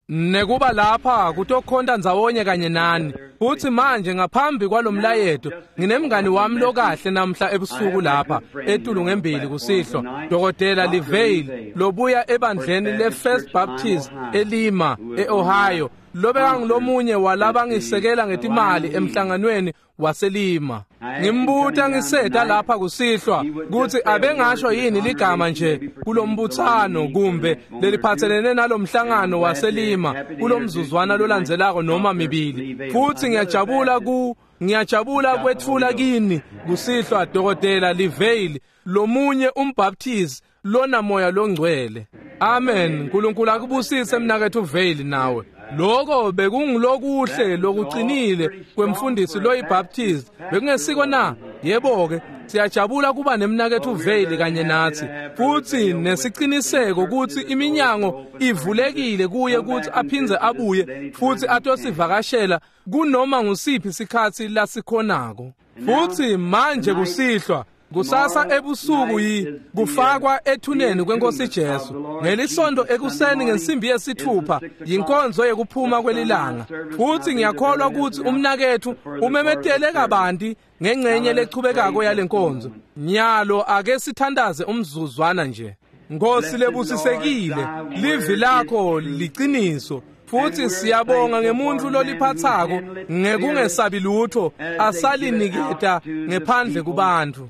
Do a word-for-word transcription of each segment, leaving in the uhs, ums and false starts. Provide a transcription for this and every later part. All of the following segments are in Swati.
Nekuba lapha kutokhonta ndzawonye kanye nani. Futhi manje ngaphambi kwalomlayeto nginemngani wami lokahle namhla ebusuku lapha etulu ngembili kusihlwa, Dokotela Lee Vayle lobuya ebandleni le-First Baptist eLima e-Ohio, lobekangulomunye walabangisekela ngetimali emhlanganweni waseLima. Ngimbuta ngiseta lapha kusihlwa kutsi abengasho yini ligama nje kulombutsano kumbe leliphatselene nalomhlangano waseLima kulomzuzwana lolandzelako noma mibili. Futhi ngiyajabula ku ngiyajabula kwetfula kini kusihlwa Dokotela Lee Vayle, lomunye umbaptist lona moya longcwele. Amen. uNkulunkulu akubusise mnaketfu Vayle nawe. Lokho bekungulokuhle lokuqinile kwemfundisi loyiBaptist, bekungesiko na? Yebo ke, siyajabula kuba nemnaketfu Vayle kanye nathi, futhi nesiciniseko ukuthi iminyango ivulekile kuye ukuthi aphindze abuye futhi atosivakashela kunoma ngusiphi isikhatsi lasikhonako. Futhi manje kusihlwa, kusasa ebusuku yi kufakwa ethuneni kwenkosi Jesu. Ngelisonto ekuseni ngensimbi yesithupha yinkonzo yekuphuma kwelilanga. Futhi ngiyakholwa ukuthi umnakethu umemetele kabanti ngengcenye lechubekako yalenkonzo. Nyalo ake sithandaze umzuzwana nje. Nkosi lebusisekile, livi lakho liqiniso. Futhi siyabonga ngemuntu loliphathako ngekungesabi lutho asaliniketa ngephandle kubantu.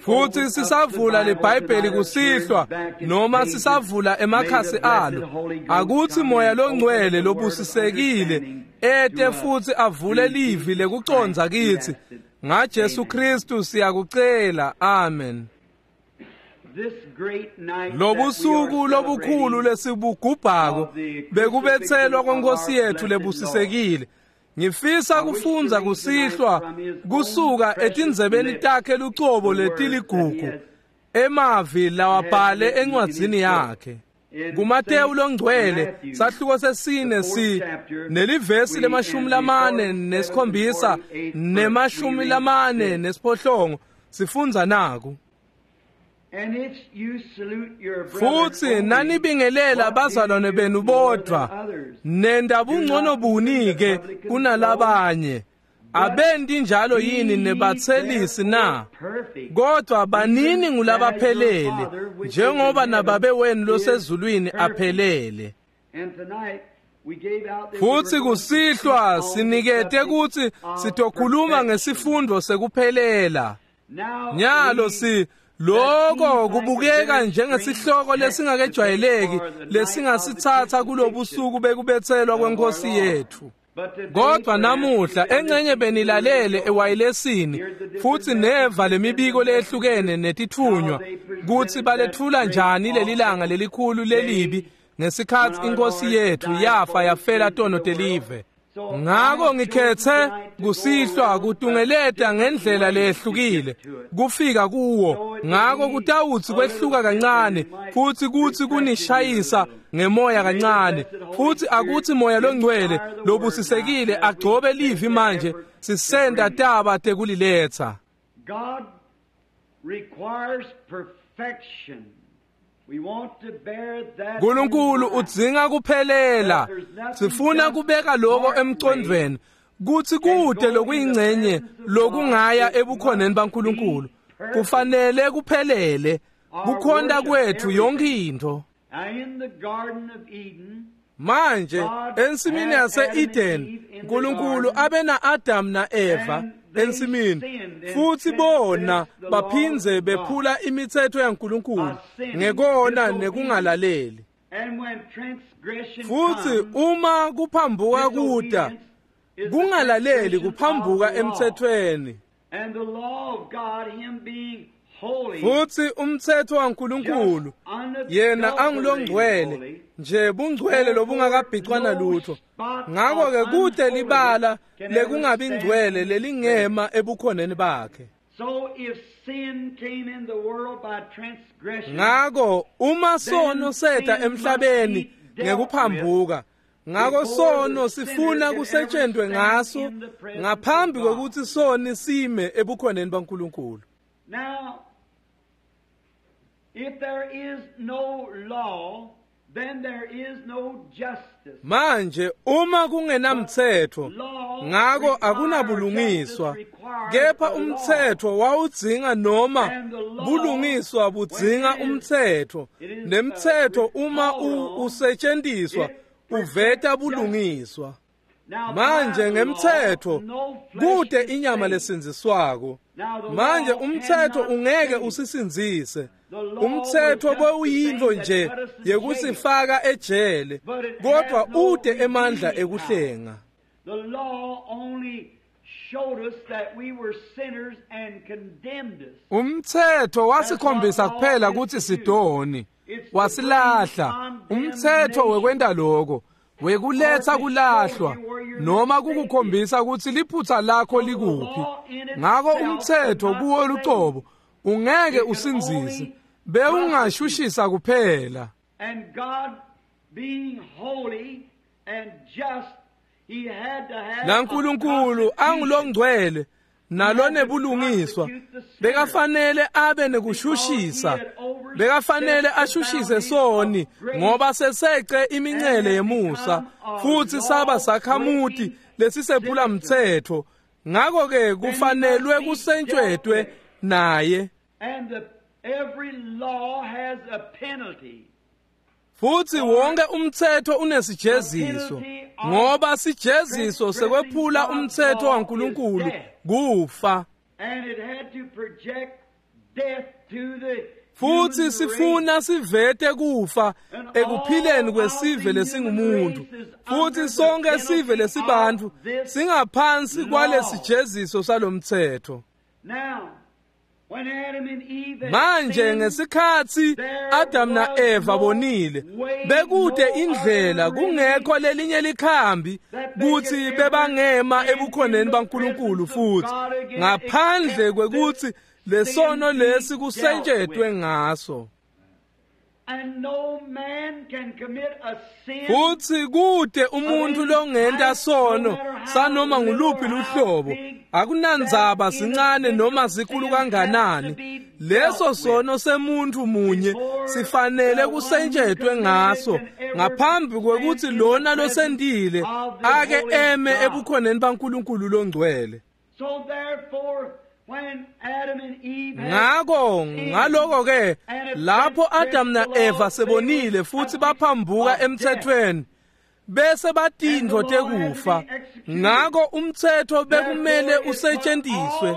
Futhi sisavula leBhayibheli kusihlwa noma sisavula emakhasi alo, akuthi moya longcwele lobusisekile ete futhi avule livi lekucondza kithi. NgaJesu Kristu siyakucela, amen. Lobusuku lobukhulu lesibugubhako bekubethelwa kwenkosi yethu lebusisekile. Ngifisa kufundza kusihlwa kusuka etindzebeni takhe lucobo letiligugu, emavi lawabhale encwadzini yakhe kuMateyu longcwele sahluko sesine si nelivesi lemashumi lamane nesikhombisa nemashumi lamane nesiphohlongo. Sifundza naku: Futhi nanibingelela bazalwane benu bodvwa, nenda bungcono buni-ke kunalabanye? Abendi njalo yini nebathelisi na? Kodwa banini ngulabaphelele, njengoba nababe wenu losezulwini aphelele. Futhi kusihlwa sinikete kutsi sitokhuluma ngesifundo sekuphelela. Nyalo si lokho kubukeka njengesihloko lesingakejwayeleki lesingasithatha kulobusuku bekubethelwa kwenkosi yethu. Kodwa namuhla engcenye benilalele ewayilesini futhi neva lemibiko lehlukene netithunywa kutsi balethula njani lelilanga lelikhulu lelibi ngesikhatsi inkosi yethu yafa yafela tono telive. Ngako ngikhethe kusihlwa kutungeleta ngendlela lehlukile kufika kuwo. Ngako kutawutsi kwehluka kancane futhi kuthi kunishayisa ngemoya kancane, futhi akuthi moya longcwele lobusisekile agcobe livi manje sisenda taba tekuliletha. God requires perfection. uNkulunkulu udzinga kuphelela. Sifuna kubeka lokho emcondweni kuthi kude lokuyingcenye lokungaya ebukhoneni baNkulunkulu kufanele kuphelele kukhonta kwethu yonke into. Manje ensimini yase-Eden uNkulunkulu abe na-Adam na-Eva ensimini, futhi bona baphindze bephula imithetho yaNkulunkulu ngekona nekungalaleli. Futhi uma kuphambuka kuda, kungalaleli kuphambuka emthethweni. Futhi umthetho waNkulunkulu yena angulongcwele nje, bungcwele lobungakabhicwana lutho. Ngakho ke kude libala lekungabi ngcwele lelingema ebukhoneni bakhe. Ngako uma sono seta emhlabeni ngekuphambuka, ngako sono sifuna kusetshenzwe ngaso ngaphambi kokuthi soni sime ebukhoneni baNkulunkulu. Now, if there is no law, Then there is no justice. Manje uma kungenamthetho ngako akunabulungiswa, kepha umthetho wawudzinga noma bulungiswa budzinga umthetho, nemthetho uma usetshenziswa uveta bulungiswa. Manje ngemthetho kude inyama lesindziswako. Manje umthetho ungeke usisindzise. Umthetho bewuyintfo nje yekusifaka ejele, kodwa ude emandla ekuhlenga. The law only showed us that we were sinners and condemned us. Umthetho wasikhombisa kuphela kutsi sidoni, wasilahla. Umthetho wekwenta lokho, wekuletsa kulahlwa noma kukukhombisa kutsi liphutsa lakho likuphi. Ngako umthetho kuwo lucobo ungeke usindzise, bewungashushisa kuphela. And God being holy and just, he had to have NaNkulunkulu angulongcwele nalonebulungiswa, bekafanele abe nekushushisa, bekafanele ashushise soni ngoba sesece imincele yemusa futsi saba sakhamuti lesisephula mthetho. Ngako ke kufanelwe kusentshwetwe naye. And the, every law has a penalty. Futsi wonke umthetho unesijeziso, ngoba sijeziso sekwephula umthetho waNkulunkulu kufa. And it had to project death to the Futsi sifuna sivete kufa ekuphileni kwesive lesingumuntu. Futsi sonke sive lesibantfu singaphansi kwalesijeziso salomthetho. Now, when Adam and Eve had Manje sinned, ngesikhatsi Adam na Eva bonile, bekude indlela kungekho lelinye likhambi kutsi bebangema ebukhoneni baNkulunkulu futhi ngaphandle kwekutsi lesono lesi kusentshetwe ngaso. And no man can commit a sin Futsi kude umuntu longenta sono sanoma nguluphi luhlobo, akunandzaba sincane noma sikhulu kanganani, leso sono semuntu munye sifanele kusentshetwe ngaso ngaphambi kwekutsi lona losentile ake eme ebukhoneni baNkulunkulu longcwele. So therefore, when Adam and Eve had Ngako ngaloko ke lapho Adam na Eva sebonile futsi baphambuka emthethweni bese batintfo tekufa, ngako umthetho bekumele usetshenziswe.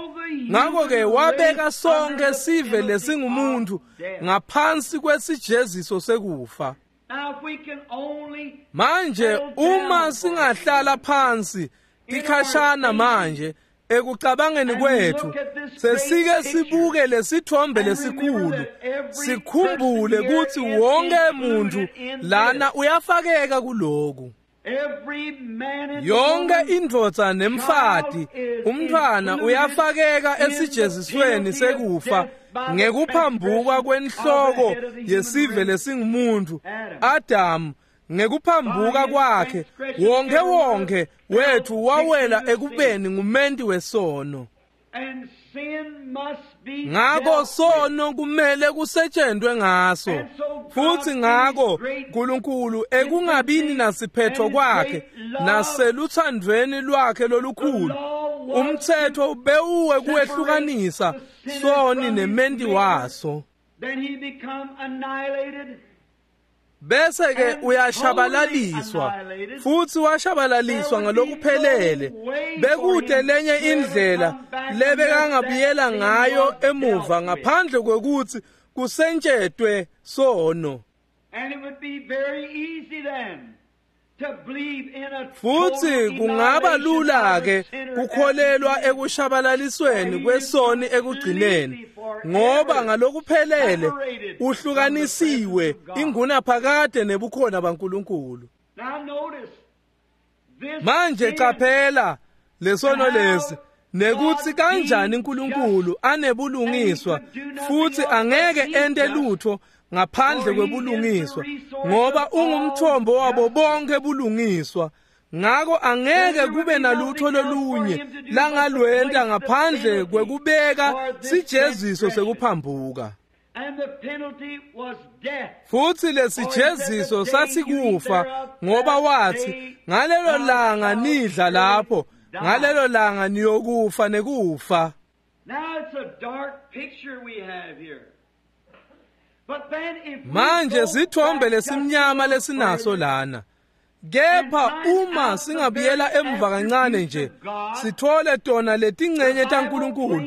Ngako ke wabeka sonke sive lesingumuntu ngaphansi kwesijeziso sekufa. Now if we can only Manje uma singahlala phansi tikhashana manje ekucabangeni kwethu, sesike sibuke lesithombe lesikhulu, sikhumbule kutsi wonke muntu lana uyafakeka kuloku. Every man and Yonke woman, indvodza nemfati, umntfwana uyafakeka esijezisweni sekufa ngekuphambuka kwenhloko yesive lesingumuntu Adam. Ngekuphambuka kwakhe wonke wonke wethu wawela ekubeni ngumenti wesono. And sin must be Ngako dealt with. sono kumele kusetshenzwe ngaso. Futsi ngako uNkulunkulu ekungabini nasiphetho kwakhe naseluthandweni lwakhe lolukhulu, umthetho bewuwe kuwehlukanisa soni nementi waso. Then he become annihilated. Bese ke uyashabalaliswa, futsi washabalaliswa ngalokuphelele. Bekude lenye indlela lebekangabuyela ngayo emuva ngaphandle kwekutsi kusentshetwe sono. And it would be very easy then to believe in a Futsi total kungaba lula ke annihilation of the sinner kukholelwa at the end. ekushabalalisweni kwesoni ekugcineni, ngoba ngalokuphelele uhlukanisiwe ingunaphakade nebukhona baNkulunkulu. Now notice this Manje sin qaphela lesono lesi nekutsi kanjani uNkulunkulu anebulungiswa futhi angeke ente lutho ngaphandle kwebulungiswa, ngoba ungumthombo wabo bonke bulungiswa. Ngako angeke kube nalutho lolunye langalwenta ngaphandle kwekubeka sijeziso sekuphambuka. And the penalty was death. Futhi lesijeziso sasikufa ngoba wathi ngalelo langa nidla lapho ngalelo langa niyokufa nekufa. Now it's a dark picture we have here. But then if we Manje go sithombe back just lesimnyama a little lesinaso further, lana. Kepha uma singabuyela emva kancane nje sithole tona letingcenye taNkulunkulu.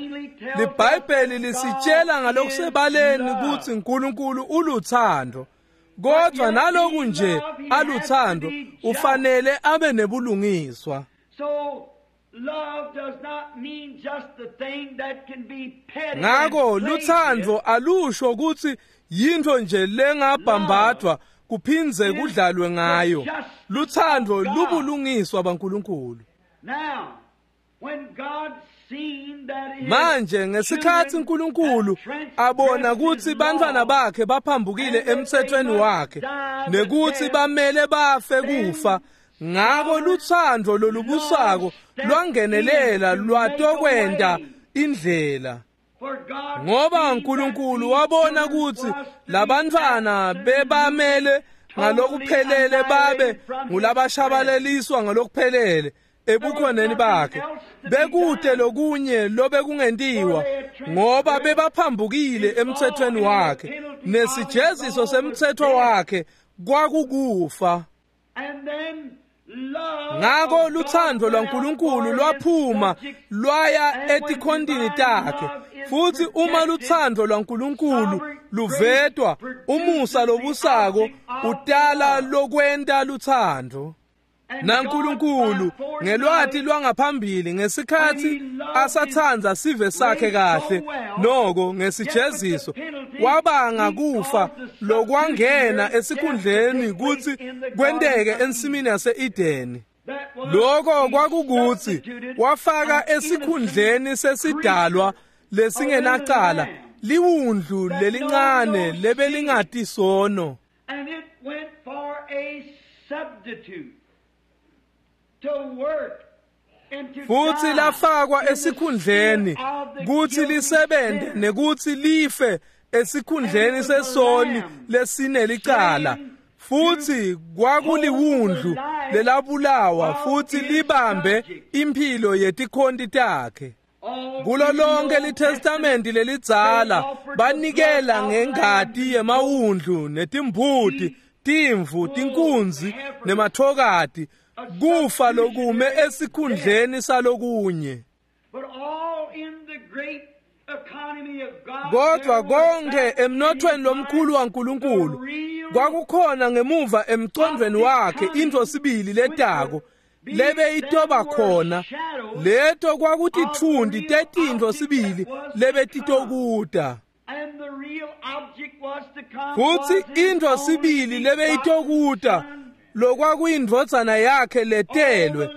LiBhayibheli lisitshela ngalokusebaleni ukuthi uNkulunkulu uluthando. Kodwa naloku nje aluthando ufanele abe nebulungiswa. So love does not mean just the thing that can be petty. Ngakho and played luthando with. alusho ukuthi yinto nje lengabhambathwa kuphindze kudlalwe ngayo. Luthando lubulungiswa baNkulunkulu. Now, when God seen that his Manje ngesikhathi children uNkulunkulu had abona transgressed ukuthi his bantwana law, bakhe baphambukile emthethweni wakhe nekuthi bamele bafe kufa, ngakho luthando lolubusako lwangenelela lwatokwenda indlela. for God Ngoba seen that uNkulunkulu these wabona children ukuthi was to be labantwana bebamele ngalokuphelele babe ngulabashabalaliswa ngalokuphelele ebukhoneni bakhe. Bekude lokunye lobekungentiwa ngoba bebaphambukile emthethweni wakhe nesijeziso semthetho wakhe kwakukufa. And then love Ngakho of luthando God lwaNkulunkulu went out lwaphuma for his subjects, lwaya etikhontini takhe. Futhi uma luthando lwaNkulunkulu luvetwa, umusa lobusako utala lokwenta luthando. and NaNkulunkulu God by ngelwati foreknowledge lwangaphambili ngesikhathi asathandza sive sakhe kahle noko ngesijeziso wabanga kufa lokwangena esikhundleni kutsi kwenteke ensimini yase-Edeni. that was Lokho he kwakukuthi substituted wafaka an esikhundleni innocent sesidalwa lesingenacala liwundlu lelincane lebelingati sono. And it went for a substitute to work and to Futhi die lafakwa in the esikhundleni stead of the kuthi guilty lisebenze sinner. nekuthi life esikhundleni sesoni lesinelicala. Futhi kwakuliwundlu lelabulawa futhi libambe imphilo yetikhonti takhe. All Kulo through the lonke Old liTestamenti lelidzala banikela ngengati yemawundlu netimbuti, timvu, tinkunzi nemathokati kufa lokume esikhundleni salokunye. But all in the great economy of God, Kodwa there was konke back in emnothweni his lomkhulu mind waNkulunkulu the real kwakukhona ngemuva emcondweni wakhe into sibili letako lebeyitoba khona leto kwakutithundi tetintfo sibili lebetitokuta. And the real object was to come Futhi was his into only sibili lebeyitokuta begotten lokwakuyindvodzana yakhe letelwe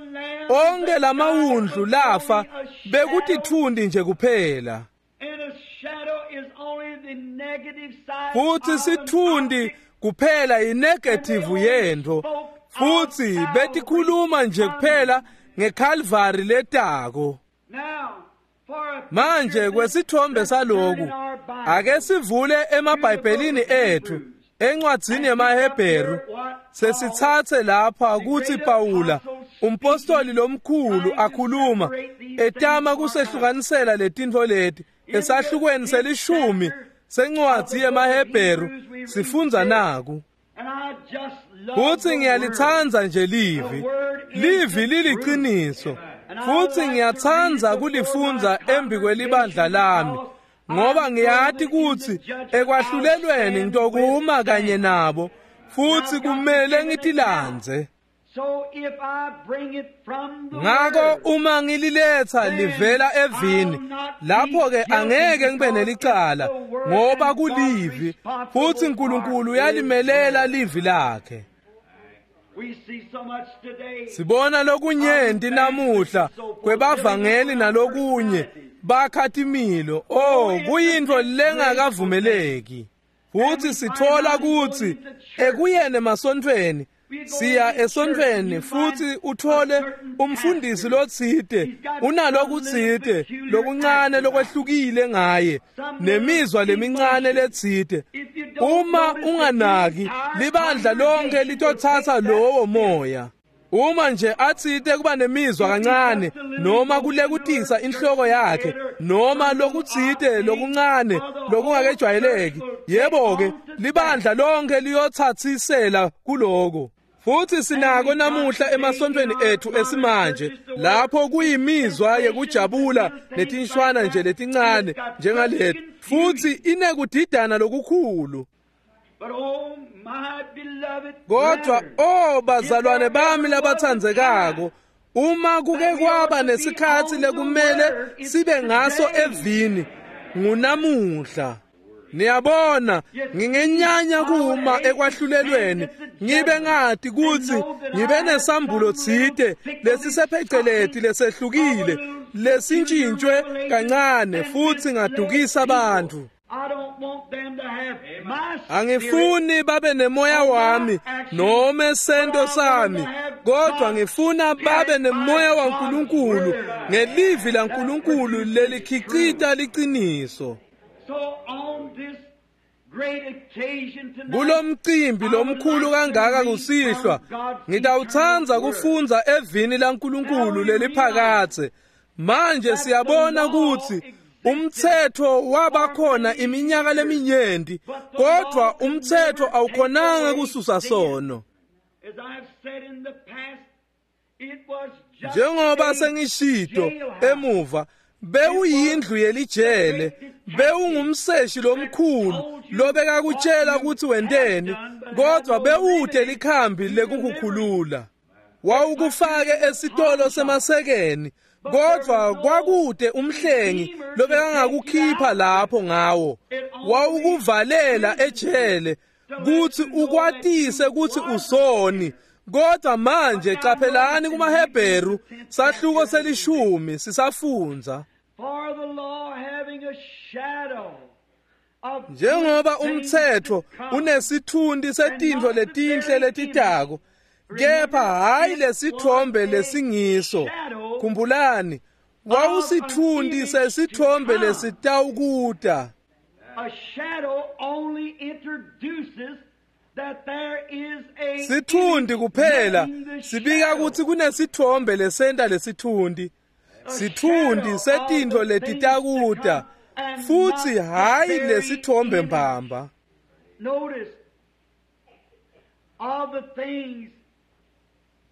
onke lamawundlu lafa bekutithundi nje kuphela. And a shadow is only the negative side Futhi of an sithundi object. kuphela inegative yento futhi betikhuluma nje kuphela ngeCalvary letako. Now, for a Manje picture kwesithombe let's turn saloku in our Bibles ake sivule emaBhayibhelini ethu encwadzini yemaHebheru sesithathe lapha kuthi Pawula umpostoli lomkhulu akhuluma etama kusehlukanisela letintfo leti esahlukweni selishumi sencwadzi yemaHebheru sifundza naku. And I just love Futhi the word. ngiyalithanda nje livi. Livi liliqiniso. Futhi ngiyathanda kulifundza embi kwelibandla lami ngoba ngiyati kutsi ekwahlulelweni ngitokuma kanye nabo futhi kumele ngitilandze. So if I bring it from the Ngakho word, uma ngililetha livela evini lapho ke angeke ngibe nelicala ngoba kulivi futhi uNkulunkulu uyalimelela livi lakhe. we see so much today. Sibona lokunyenti namuhla kwebavangeli nalokunye bakha timilo. Oh, kuyintfo lengakavumeleki. Futhi sithola kutsi ekuyeni emasontfweni Siya esontfweni futhi uthole umfundisi lotsite unalokutsite lokuncane lokwehlukile ngaye nemizwa lemincane letsite. Uma unganaki libandla lonke litotsatsa lowo moya. Uma nje atsite kuba nemizwa kancane noma kulekutisa inhloko yakhe noma lokutsite lokuncane lokungakejwayeleki, yebo-ke libandla lonke liyotsatsisela kuloko. Futhi sinako namuhla emasontfweni ethu esimanje lapho kuyimizwa yekujabula netinshwana nje letincane njengalethu, futhi inekudidana lokukhulu. Kodwa oh bazalwane bami labatsandzekako, uma kuke kwaba nesikhatsi lekumele sibe ngaso evini ngunamuhla. Niyabona, ngingenyanya kuma ekwahlulelweni ngibe ngati kutsi ngibe nesambulo tsite lesisepheceleti lesehlukile lesintshintshwe kancane futhi ngadukisa abantu. Angifuni babe nemoya wami noma sento sami, kodwa ngifuna babe nemoya waNkulunkulu ngelivi laNkulunkulu lelikhicita liqiniso. Kulomcimbi lomkhulu kangaka kusihlwa, ngitawutsandza kufundza evini laNkulunkulu leliphakadze. Manje siyabona kutsi umtsetfo wabakhona iminyaka leminyenti, kodwa umtsetfo awukhonanga kususa sono. Njengoba sengishito emuva, bewuyindlu yelijele, bewungumseshi lomkhulu lobekakutshela kutsi wenteni, kodwa bewute likhambi lekukukhulula. Wawukufake esitolo semasekeni, kodwa kwakude umhlengi lobekangakukhipha lapho ngawo. Wawukuvalela ejele kutsi ukwatise kutsi usoni. Kodwa manje qaphelani kumaHebheru sahluko selishumi sisafundza. Njengoba umtsetfo unesitfunti setintfo letinhle letitako, kepha hayi lesithombe lesingiso. Khumbulani, wawusitfunti sesithombe lesitawukuta. Sitfunti kuphela sibika kutsi kunesithombe lesenta lesitfunti. Sitfunti setintfo letitakuta futhi hayi lesithombe mbamba.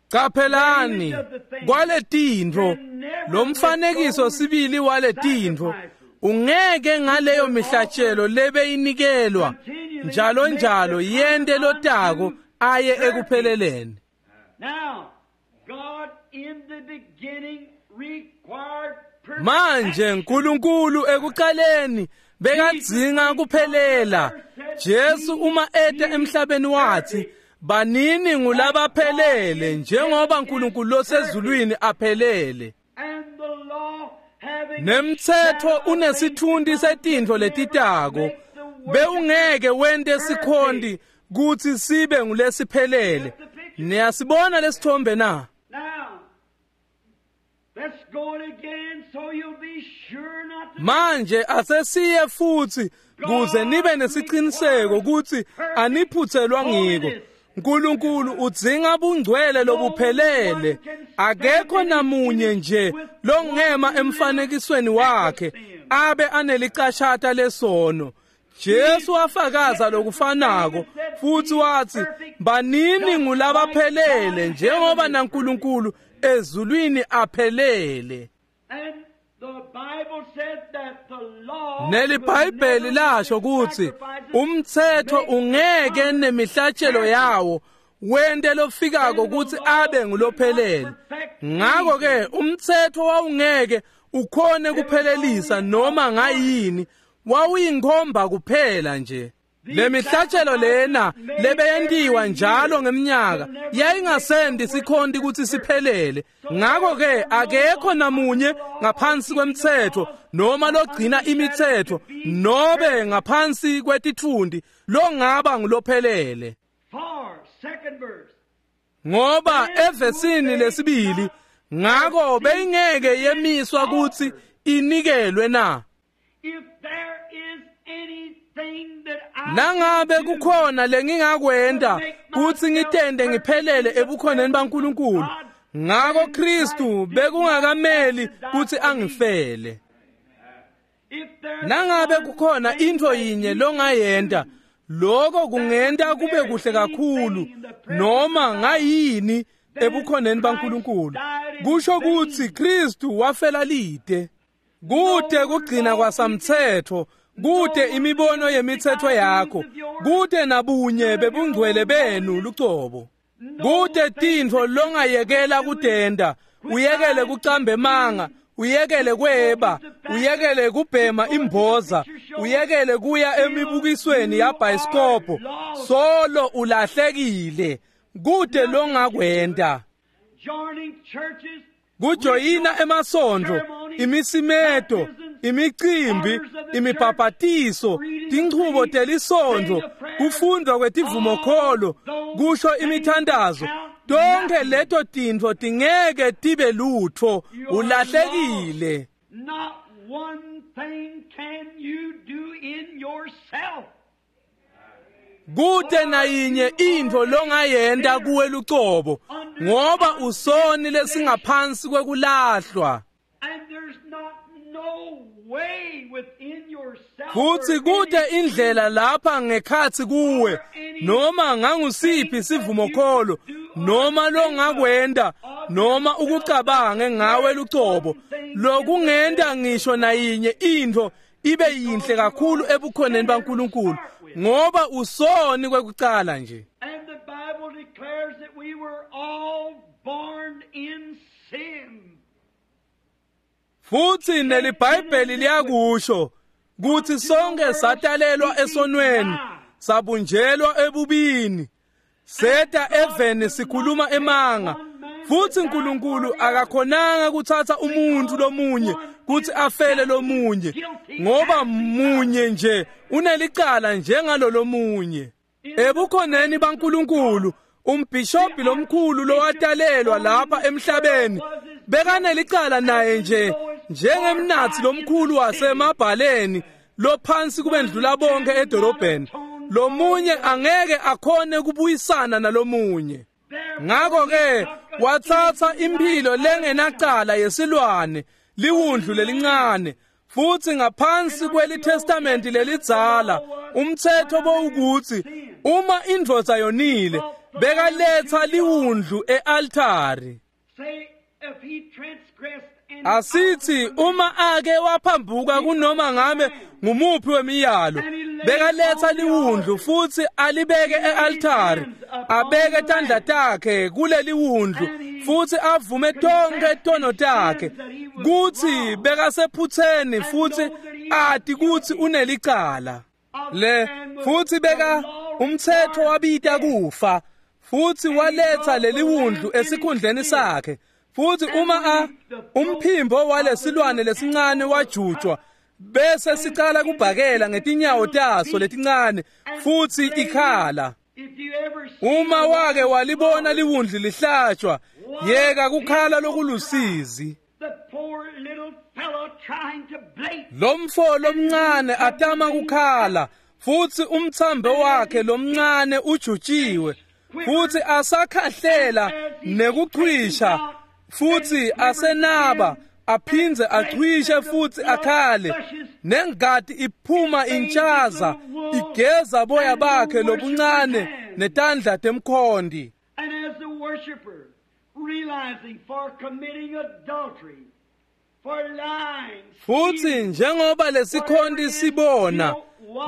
Qaphelani kwaletintfo, lomfanekiso sibili waletintfo ungeke ngaleyo mihlatshelo lebeyinikelwa njalo njalo yente lotako aye ekupheleleni. Manje uNkulunkulu ekuqaleni bekadzinga kuphelela. Jesu uma ete emhlabeni wathi, banini ngulabaphelele njengoba uNkulunkulu losezulwini aphelele. Nemtsetfo unesitfunti setintfo letitako, bewungeke wente sikhonti kutsi sibe ngulesiphelele. Niyasibona lesithombe na? Manje asesiye futhi kuze nibe nesiciniseko kutsi aniphutselwa ngiko. uNkulunkulu udzinga bungcwele lobuphelele. Akekho namunye nje longema emfanekisweni wakhe abe anelicashata lesono. Jesu wafakaza lokufanako futhi wathi, banini ngulabaphelele njengoba naNkulunkulu ezulwini aphelele. NeliBhayibheli lasho kutsi umtsetfo ungeke nemihlatshelo yawo wente lofikako kutsi abe ngulophelele. Ngako ke umtsetfo wawungeke ukhone kuphelelisa noma ngayini, wawuyinkhomba kuphela nje. Lemihlatshelo lena lebeyentiwa njalo ngeminyaka yayingasendi sikhonti kutsi siphelele. Ngako ke akekho namunye ngaphansi kwemtsetfo noma logcina imitsetfo nobe ngaphansi kwetitfunti longaba ngulophelele. Ngoba evesini lesibili, ngako beyingeke yemiswa kutsi inikelwe na. If there is anything that I Nangabe can do kukhona lengingakwenta kutsi ngitende ngiphelele ebukhoneni baNkulunkulu, ngako Kristu bekungakameli kutsi angifele. If there's Nangabe one kukhona thing intfo that yinye you longayenta, lokho kungenta kube kuhle kakhulu noma ngayini ebukhoneni baNkulunkulu, kusho kutsi Kristu wafela lite. Kute kugcina kwasamtsetfo, kute imibono yemitsetfo yakho, kute nabunye bebungcwele benu lucobo. Kute tintfo longayekela kutenta, uyekele kucamba emanga, uyekele kweba, uyekele kubhema imboza, uyekele kuya emibukisweni yabhayisikobho, solo ulahlekile. Kute longakwenta. joining churches, Kujoyina emasontfo, imisimeto, imicimbi, imibhabhatiso, tinchubo telisontfo, kufundwa kwetivumokholo, kusho imithandazo, tonkhe leto tintfo tingeke tibe lutfo, ulahlekile. Not one thing can you do in yourself. Kute nayinye intfo longayenta kuwe lucobo, ngoba usoni lesingaphansi kwekulahlwa. And there's not no way within yourself. Futsi or kute any indlela lapha ngekhatsi kuwe noma ngangusiphi sivumokholo noma longakwenta noma ukucabange ngawe lucobo lokungenta ngisho nayinye intfo ibe yinhle kakhulu ebukhoneni baNkulunkulu, ngoba usoni kwekucala nje. And the Bible declares that we were all born in sin. Futsi neliBhayibheli liyakusho kutsi sonke satalelwa esonweni, sabunjelwa ebubini, seta eveni sikhuluma emanga. Futsi uNkulunkulu akakhonanga kutsatsa umuntfu lomunye kutsi afele lomunye, ngoba munye nje unelicala njengalo lomunye. Ebukhoneni baNkulunkulu, umbhishobhi lomkhulu lowatalelwa lapha emhlabeni bekanelicala naye nje njengemnatsi lomkhulu wasemabhaleni lophansi kubendlula bonke edorobheni. Lomunye angeke akhone kubuyisana nalomunye. Ngako-ke watsatsa imphilo lengenacala yesilwane, liwundlu lelincane. Futsi ngaphansi kweliTestamenti lelidzala, umtsetfo bowukutsi uma indvodza yonile, bekaletsa liwundlu e-altari. Say if he transgressed any Asithi uma ake waphambuka kunoma ngabe ngumuphi wemiyalo, bekaletsa liwundlu futsi alibeke e-altari, abeke tandla takhe kuleli wundlu futsi avume tonkhe tono takhe kutsi bekasephutseni futsi ati kutsi unelicala. Le futsi beka umtsetfo wabita kufa, futsi waletsa leli wundlu esikhundleni sakhe. Futsi uma a umphimbo walesilwane lesincane wajutjwa, bese sicala kubhakela ngetinyawo taso letincane futsi ikhala. If you ever see Uma a wake lamb walibona liwundlu lihlatshwa, yeka kukhala lokulusizi. the poor little fellow trying to blate Lomfo lomncane atama kukhala, futsi umtsambo wakhe lomncane ujutshiwe, futsi asakhahlela nekuchwisha, futsi asenaba aphindze achwishe futsi akhale, nengati iphuma intshaza igeza boya bakhe lobuncane netandla temkhondi. And as the worshiper, realizing for committing adultery, for lying, Futsi stealing, njengoba lesikhonti sibona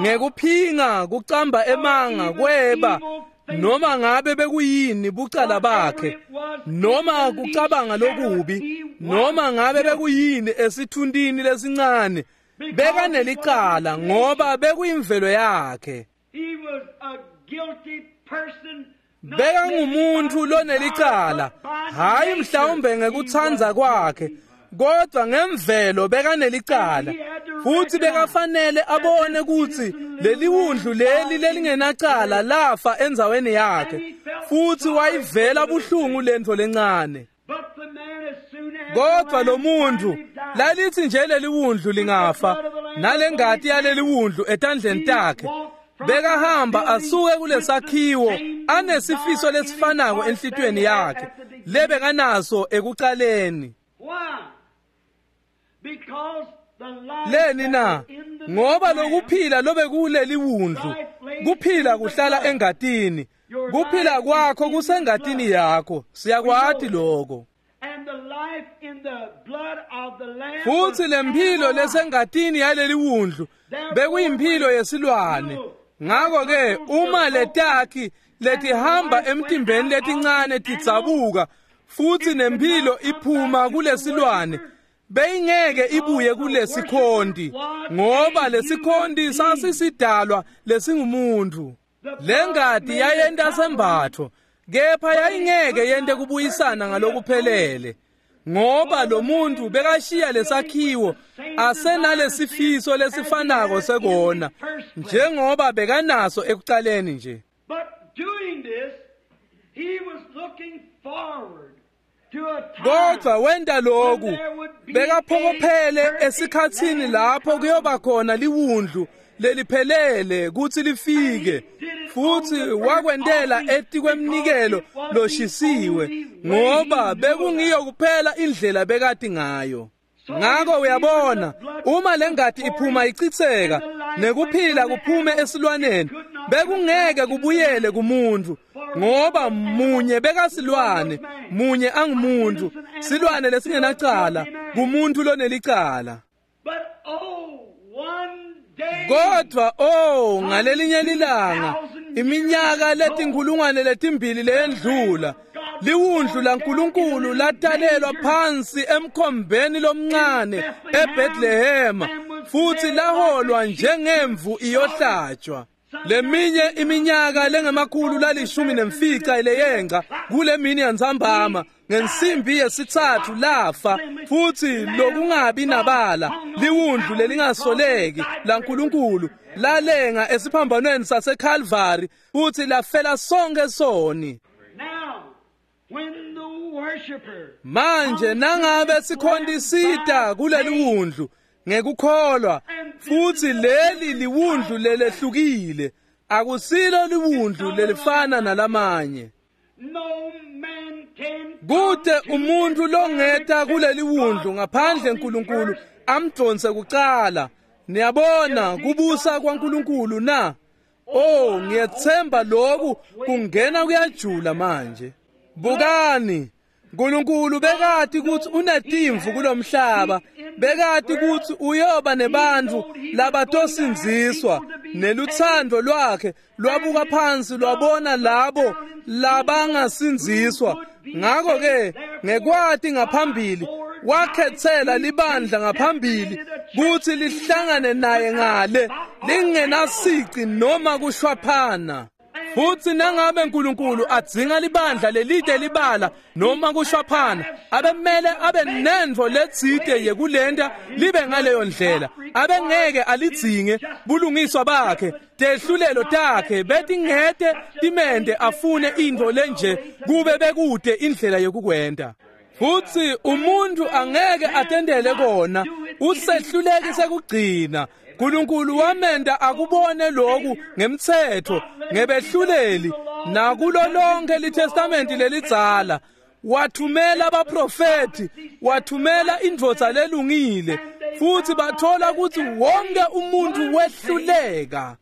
ngekuphinga, kucamba emanga, kweba, noma ngabe bekuyini bucala bakhe, noma kucabanga lokubi, noma ngabe bekuyini esithuntini lesincane, bekanelicala ngoba bekuyimvelo yakhe. he was a guilty person. Not Bekangumuntu maybe by lonelicala, desire, but by hayi nature mhlawumbe he ngekutsandza was kwakhe, guilty. kodwa ngemvelo bekanelicala. Futsi bekafanele abone kutsi leli wundlu leli lelingenacala lafa endzaweni yakhe, Futsi wayivela buhlungu lentfo lencane. Kodwa lo muntu lalithi nje leli wundlu lingafa nalengati yaleli wundlu etandleni takhe, bekahamba asuke kulesakhiwo anesifiso lesifanako enhlitiyweni yakhe lebekanaso ekucaleni. Leni na? Ngoba lokuphila lobekuleli wundlu, kuphila kuhlala engatini. Kuphila kwakho kusengatini yakho, siyakwati lokho. Futsi lemphilo lesengatini yaleli wundlu bekuyimphilo yesilwane. Ngakho-ke uma letakhi letihamba emtimbeni letincane tidzabuka futsi nemphilo iphuma kulesilwane, beyingeke ibuye kulesikhonti, ngoba lesikhonti sasisidalwa lesingumuntu. Lengati yayenta sembatfo, kepha yayingeke yente kubuyisana ngalokuphelele, ngoba lo muntu bekashiya lesakhiwo asenalesifiso lesifanako sekona njengoba bekanaso ekucaleni nje. Kodwa wenta lokhu bekaphokophele esikhatsini lapho kuyoba khona liwundlu leliphelele kutsi lifike, futsi wakwentela etikwemnikelo loshisiwe, ngoba bekungiyo kuphela indlela bekati ngayo. Ngako uyabona, uma lengati iphuma ichitseka nekuphila kuphume esilwaneni, bekungeke kubuyele kumuntu, ngoba munye bekasilwane, munye angumuntu, silwane lesingenacala kumuntu lonelicala. Kodwa oh, ngalelinye lilanga, iminyaka letinkhulungwane letimbili leyendlula, liwundlu laNkulunkulu latalelwa phansi emkhombeni lomncane eBethlehema, futsi laholwa njengemvu iyohlatshwa. Leminye iminyaka lengemakhulu lalishumi nemfica leyenca kule mini yantsambama ngensimbi yesitsatfu lafa, futsi lokungabi nabala liwundlu lelingasoleki laNkulunkulu lalenga esiphambanweni saseKalvari futsi lafela sonke soni. Manje nangabe sikhontisita kuleli wundlu ngekukholwa, futsi leli liwundlu lelehlukile, akusilo liwundlu lelifana nalamanye. Kute umuntu longeta kuleli wundlu ngaphandle uNkulunkulu amdonse kucala. Niyabona kubusa kwaNkulunkulu na? Oh, ngiyethemba lokhu kungena kuyajula manje. Bukani, uNkulunkulu bekati kutsi unetimvu kulomhlaba, bekati kutsi uyoba nebantfu labatosindziswa, nelutsandvo lwakhe lwabuka phansi lwabona labo labangasindziswa. Ngakho-ke ngekwati ngaphambili wakhetsela libandla ngaphambili kutsi lihlangane naye ngale lingenasici noma kushwaphana. Futsi nangabe uNkulunkulu adzinga libandla lelide libala noma kushwaphana, abemele abe nentfo letsite yekulenta libe ngaleyo ndlela. Abengeke alidzinge bulungiswa bakhe, tehlulelo takhe betingete timente afune intfo lenje kube bekude indlela yokukwenta. Futsi umuntu angeke atendele kona, usehluleki sekugcina. uNkulunkulu wamenda akubone lokhu ngemtsetfo, ngebehluleli, nakulo lonke liTestamenti lelidzala. Wathumela abaprofethi, wathumela indvodza lelungile, futsi bathola kutsi wonke umuntu wehluleka.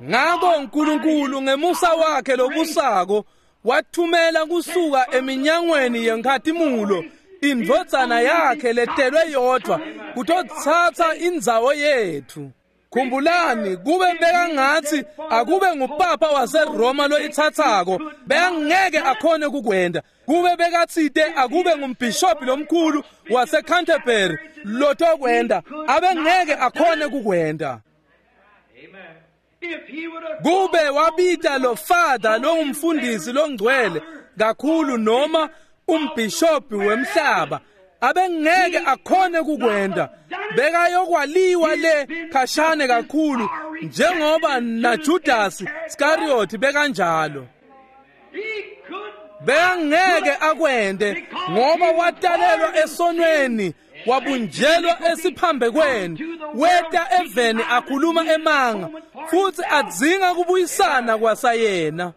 Ngako uNkulunkulu ngemusa wakhe lobusako wathumela kusuka eminyangweni yenkhatimulo indvodzana yakhe letelwe yodvwa kutotsatsa indzawo yetfu. Khumbulani, kube bekangatsi akube ngupapa waseRoma loyitsatsako, bekangeke akhone kukwenta. Kube bekatsite akube ngumbhishobhi lomkhulu waseCanterbury lotokwenta, abengeke akhone kukwenta. Kube wabita lo father longumfundisi longcwele kakhulu noma umbhishobhi wemhlaba, abengeke akhone kukwenta. Bekayokwaliwa le khashane kakhulu njengoba naJudas Iscariot bekanjalo. Bekangeke akwente ngoba watalelwa esonweni, wabunjelwa esiphambekweni, weta eveni akhuluma emanga futsi adzinga kubuyisana kwasayena.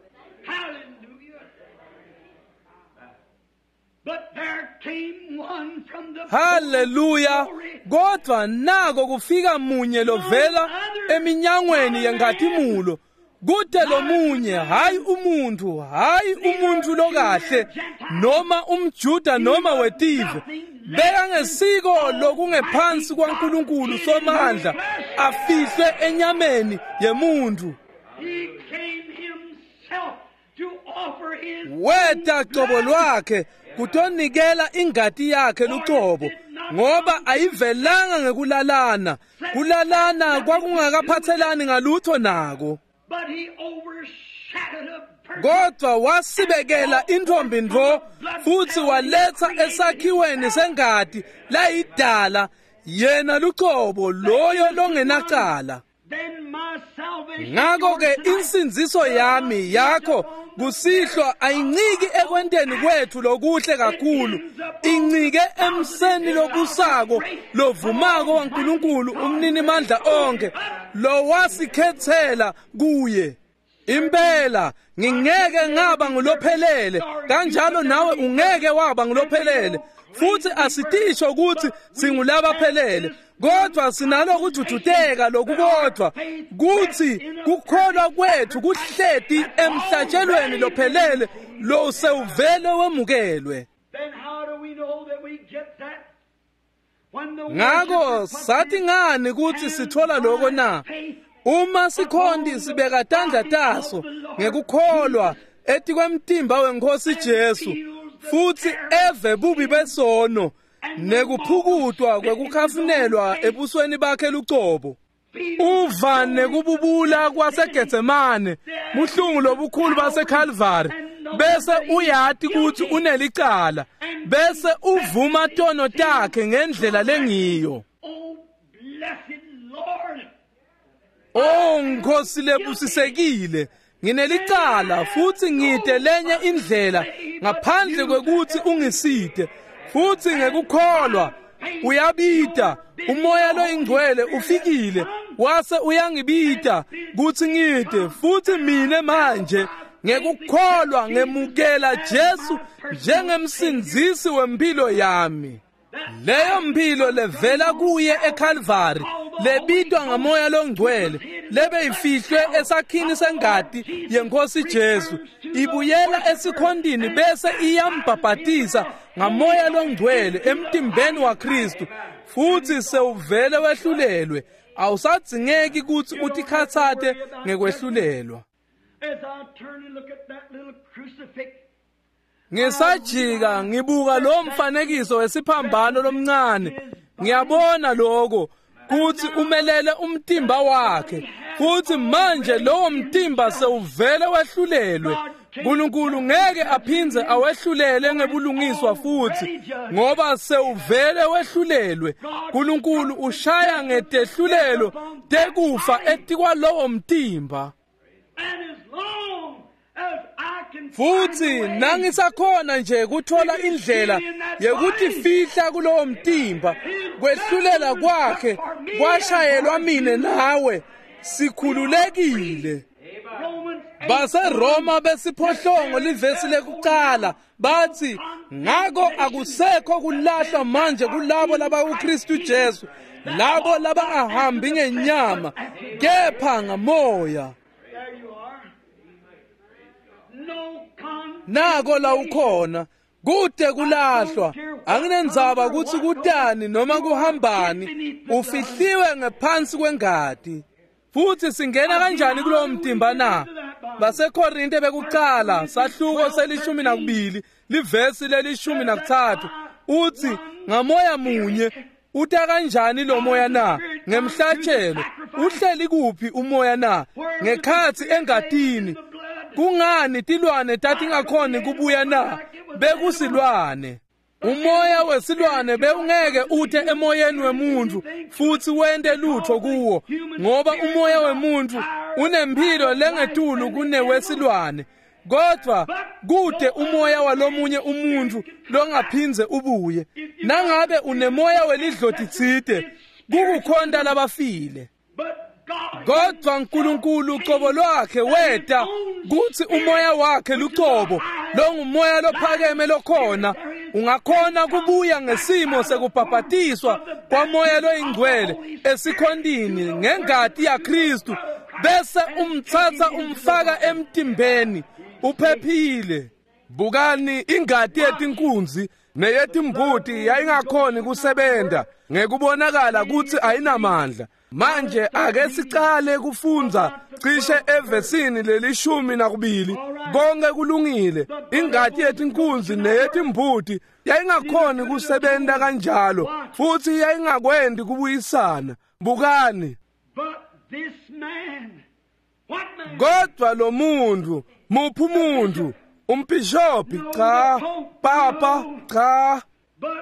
Haleluya! Kodwa nako kufika munye lovela eminyangweni yenkhatimulo, kude lomunye, hayi umuntu, hayi umuntu lokahle noma umJuda noma wetive, bekangesiko lokungephansi kwaNkulunkulu Somandla afihlwe enyameni yemuntu. Weta cobo lwakhe kutonikela ingati yakhe lucobo, ngoba ayivelanga ngekulalana. Kulalana kwakungakaphathelani ngalutho nako, kodwa wasibekela intfombi ntfo futsi waletsa esakhiweni sengati layidala yena lucobo loyo longenacala. Ngako-ke insindziso yami yakho kusihlwa ayinciki ekwenteni kwethu lokuhle kakhulu, incike emseni lobusako lovumako waNkulunkulu umninimandla onke lowasikhetsela kuye. Impela ngingeke ngaba ngulophelele, kanjalo nawe ungeke waba ngulophelele, futsi asitisho ukuthi singulabaphelele, kodwa sinalokujujuteka lokukodwa kutsi kukholwa kwethu kuhleti emhlatshelweni lophelele lo sewuvele wemukelwe. Ngako sathi ngani kutsi sithola lokho na? Uma sikhonti sibeka tandla taso ngekukholwa etikwemtimba weNkhosi Jesu futsi eve bubi besono nekuphukutwa kwekukhafunelwa ebusweni bakhe lucobo, uva nekububula kwaseGetsemane, buhlungu lobukhulu baseKalvari, bese uyati kutsi unelicala, bese uvuma tono takhe ngendlela lengiyo. Oh Nkosi lebusisekile, nginelicala futsi ngite lenye indlela ngaphandle kwekutsi ungisite. Futsi ngekukholwa uyabita, umoya loyingcwele ufikile wase uyangibita kutsi ngite, futsi mine manje ngekukholwa ngemukela Jesu njengemsindzisi wempilo yami. Leyo mpilo levela kuye eKalvari, lebitwa ngamoya longcwele, lebeyifihlwe esakhini sengati yeNkhosi Jesu, ibuyela esikhondini bese iyambhabhatisa ngamoya longcwele emtimbeni waKristu, futsi sewuvele wehlulelwe. Awusadzingeki kutsi utikhatsate ngekwehlulelwa. Ngisajika ngibuka lo mfanekiso wesiphambano lomncane, ngiyabona lokho kutsi umelele umtimba wakhe, futsi manje lowo mtimba sewuvele wehlulelwe. uNkulunkulu ngeke aphindze awehlulele ngebulungiswa futsi, ngoba sewuvele wehlulelwe. uNkulunkulu ushaya ngetehlulelo tekufa etikwalowo mtimba. Futsi nangisakhona nje kuthola indlela yekutifihla kulowo mtimba, kwehlulela kwakhe kwashayelwa mine nawe, sikhululekile. BaseRoma besiphohlongo livesi lekucala bathi, ngako akusekho kulahlwa manje kulabo labakuKristu Jesu, labo labangahambi ngenyama kepha ngamoya. Nako la ukhona, kude kulahlwa, anginendzaba kutsi kutani noma kuhambani, ufihliwe ngephansi kwengati. Futsi singena kanjani kulowo mtimba na? BaseKorinte bekucala sahluko selishumi nakubili livesi lelishumi nakutsatfu uthi, ngamoya munye. Uta kanjani lo moya na? Ngemhlatshelo. Uhleli kuphi umoya na? Ngekhatsi engatini. Kungani tilwane tatingakhoni kubuya na? Bekusilwane. Umoya wesilwane bewungeke ute emoyeni wemuntu futsi wente lutho kuwo, ngoba umoya wemuntu unemphilo lengetulu kunewesilwane. Kodwa kude umoya walomunye umuntu longaphindze ubuye. Nangabe unemoya welidloti tsite, kukukhonta labafile. Kodwa uNkulunkulu ucobo lwakhe weta kutsi umoya wakhe lucobo longumoya lophakeme lokhona ungakhona kubuya ngesimo sekubhabhatiswa kwamoya loyingcwele esikhontini ngengati yaKristu, bese umtsatsa umfaka emtimbeni uphephile. Bukani, ingati yetinkunzi neyetimbuti yayingakhoni kusebenta ngekubonakala kutsi ayinamandla. Manje ake sicale kufundza cishe evesini lelishumi nakubili. Konke kulungile. Ingati yetinkunzi neyetimbuti yayingakhoni kusebenta kanjalo, futhi yayingakwendi kubuyisana. Bukani, kodwa lo muntu, muphi umuntu? Umbhishobhi? Cha. Papa? Cha.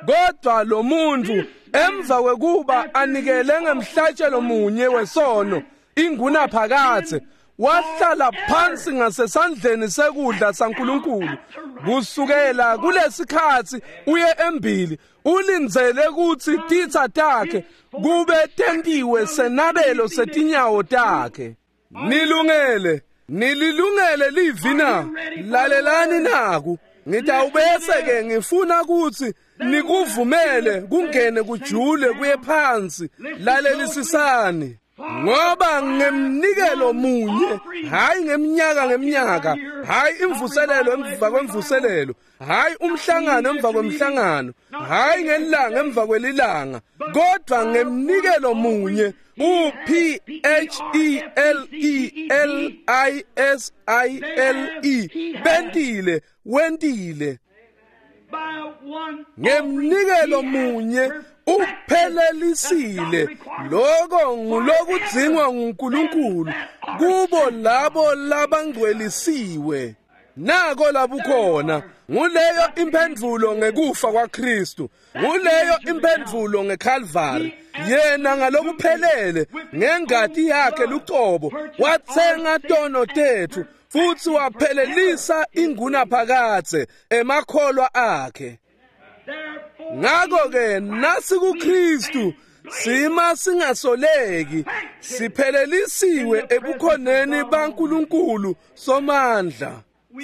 Kodwa lo muntu emva kwekuba anikele ngemhlatshelo munye wesono ingunaphakadze, wahlala phansi ngasesandleni sekudla saNkulunkulu. Kusukela kulesikhatsi uye embili ulindzele kutsi titsa takhe kube tentiwe senabelo setinyawo takhe. Nilungele, nililungele livi na? Lalelani naku. Ngitawubese ke ngifuna kutsi nikuvumele kungene kujule kuye phansi. Lalelisisani. Ngoba ngemnikelo munye, hayi ngeminyaka ngeminyaka, hayi imvuselelo emva kwemvuselelo, hayi umhlangano emva kwemhlangano, hayi ngelanga emva kwelilanga, kodwa ngemnikelo munye, U P H E L E L I S I L E, bentile, wentile. Ngemnikelo munye uphelelisile. Lokho ngulokudzingwa nguNkulunkulu kubo labo labangcwelisiwe. Nako labukhona. Nguleyo imphendvulo ngekufa kwaKristu, nguleyo imphendvulo ngeKalvari. Yena ngalokuphelele ngengati yakhe lucobo watsenga tono tetfu futhi waphelelisa ingunaphakadze emakholwa akhe. Ngakho ke nasi kuKristu sima singasoleki, siphelelisiwe ebukhoneni baNkulunkulu Somandla.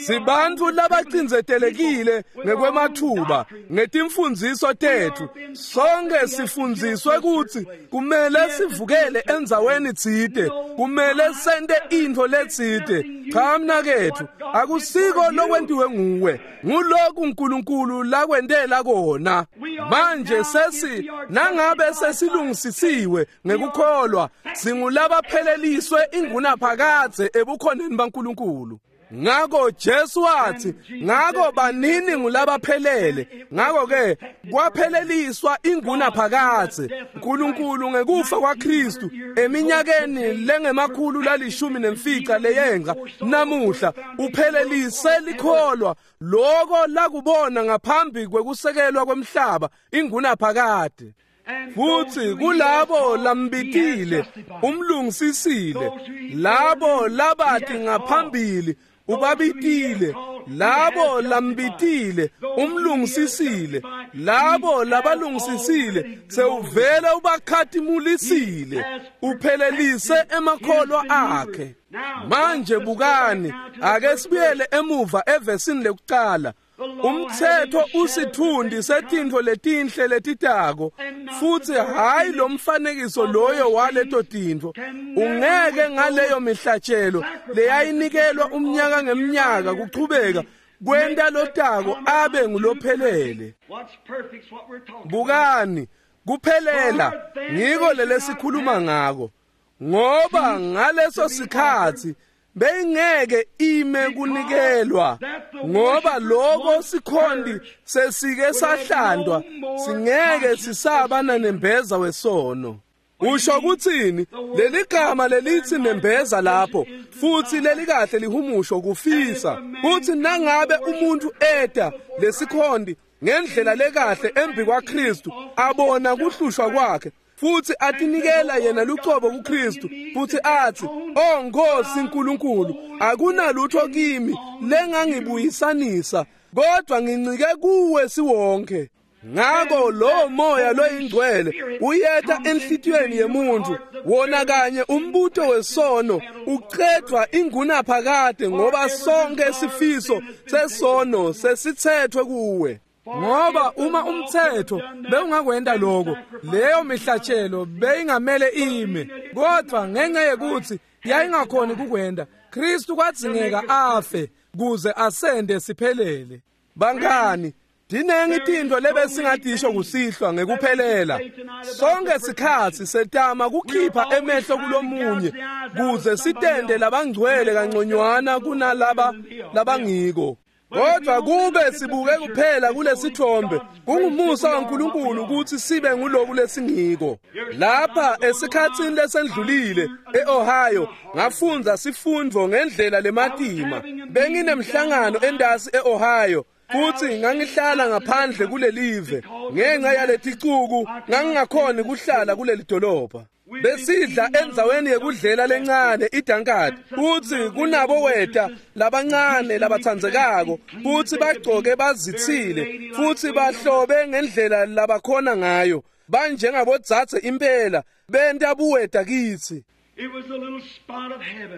Sibantu labacindzetelekile ngekwemathuba ngetimfundziso tetfu. Sonke sifundziswe kutsi kumele sivukele endzaweni tsite, kumele sente intfo letsite. Cha mnaketfu, akusiko lokwentiwe nguwe, nguloku uNkulunkulu lakwentela kona. Manje sesi nangabe sesilungisisiwe ngekukholwa, singulabapheleliswe ingunaphakadze ebukhoneni baNkulunkulu. Ngako Jesu wathi, ngako banini ngulabaphelele. Ngako ke kwapheleliswa ingunaphakadze uNkulunkulu ngekufa kwaKristu eminyakeni lengemakhulu lalishumi nemfica leyenga namuhla uphelelise likholwa loko lakubona ngaphambi kwekusekelwa kwemhlaba ingunaphakadze. Futhi kulabo lambitile umlungisisile, labo labathi ngaphambili ubabitile, labo lambitile umlungisisile, labo labalungisisile sewuvele ubakhatimulisile, uphelelise emakholwa akhe. Manje bukani, ake sibuyele emuva evesini lekucala. Umthetho usithundi setintfo letinhle letitako, futhi hayi lo mfanekiso loyo waleto tintfo. Ungeke ngaleyo mihlatshelo leyayinikelwa umnyaka ngeminyaka kuchubeka kwenta lotako abe ngulophelele. Bukani, kuphelela ngiko lelesikhuluma ngako, ngoba ngaleso sikhatsi beyingeke ime kunikelwa, ngoba lokho sikhondi sesike sahlandwa, singeke sisaba nanembeza wesono. Usho kutsini leli gama lelithi nembeza lapho, futhi lelikahle lihumusho kufisa kuthi nangabe umuntu eta lesikhondi ngendlela lekahle embi kwaKristu abona kuhlushwa kwakhe Futhi atinikela yena lucobo kuKristu futhi athi, "Oh Nkosi uNkulunkulu, akunalutho kimi lengangibuyisanisa, kodwa ngincike kuwe siwonke." Ngako lo moya loyingcwele uyeta enhlitiyweni yemuntu, wona kanye umbuto wesono uqedwa ingunaphakade, ngoba sonke sifiso sesono sesithethwe kuwe. Ngoba uma umthetho bewungakwenda lokho, leyo mihlatshelo beyingamele ime, kodwa ngenxa yekuthi yayingakhoni kukwenda, Kristu kwadzingeka afe kuze asende siphelele. Bangani, dinengi tintfo lebesingadisho kusihlwa ngekuphelela. Sonke sikhatsi setama kukhipha emehlo kulomunye kuze sitende labangcwele kanconywana kunalaba labangiko. Kodwa kube sibuke kuphela kulesithombe, kungumusa waNkulunkulu ukuthi sibe nguloku lesingiko. Lapha esikhatsini lesendlulile eOhio ngafundza sifundvo ngendlela lematima. Benginemhlangano endasi eOhio futhi ngangihlala ngaphandle kulelive. Ngenxa yaleticuku ngangingakhoni kuhlala kuleli dolobha. Besidla endzaweni yekudlela lencane iDankard, futhi kunabo weta labancane labatsandzekako, futhi bagcoke bazitsile, futhi bahlobe ngendlela labakhona ngayo, banjengabodzadze impela, benta buweta kitsi.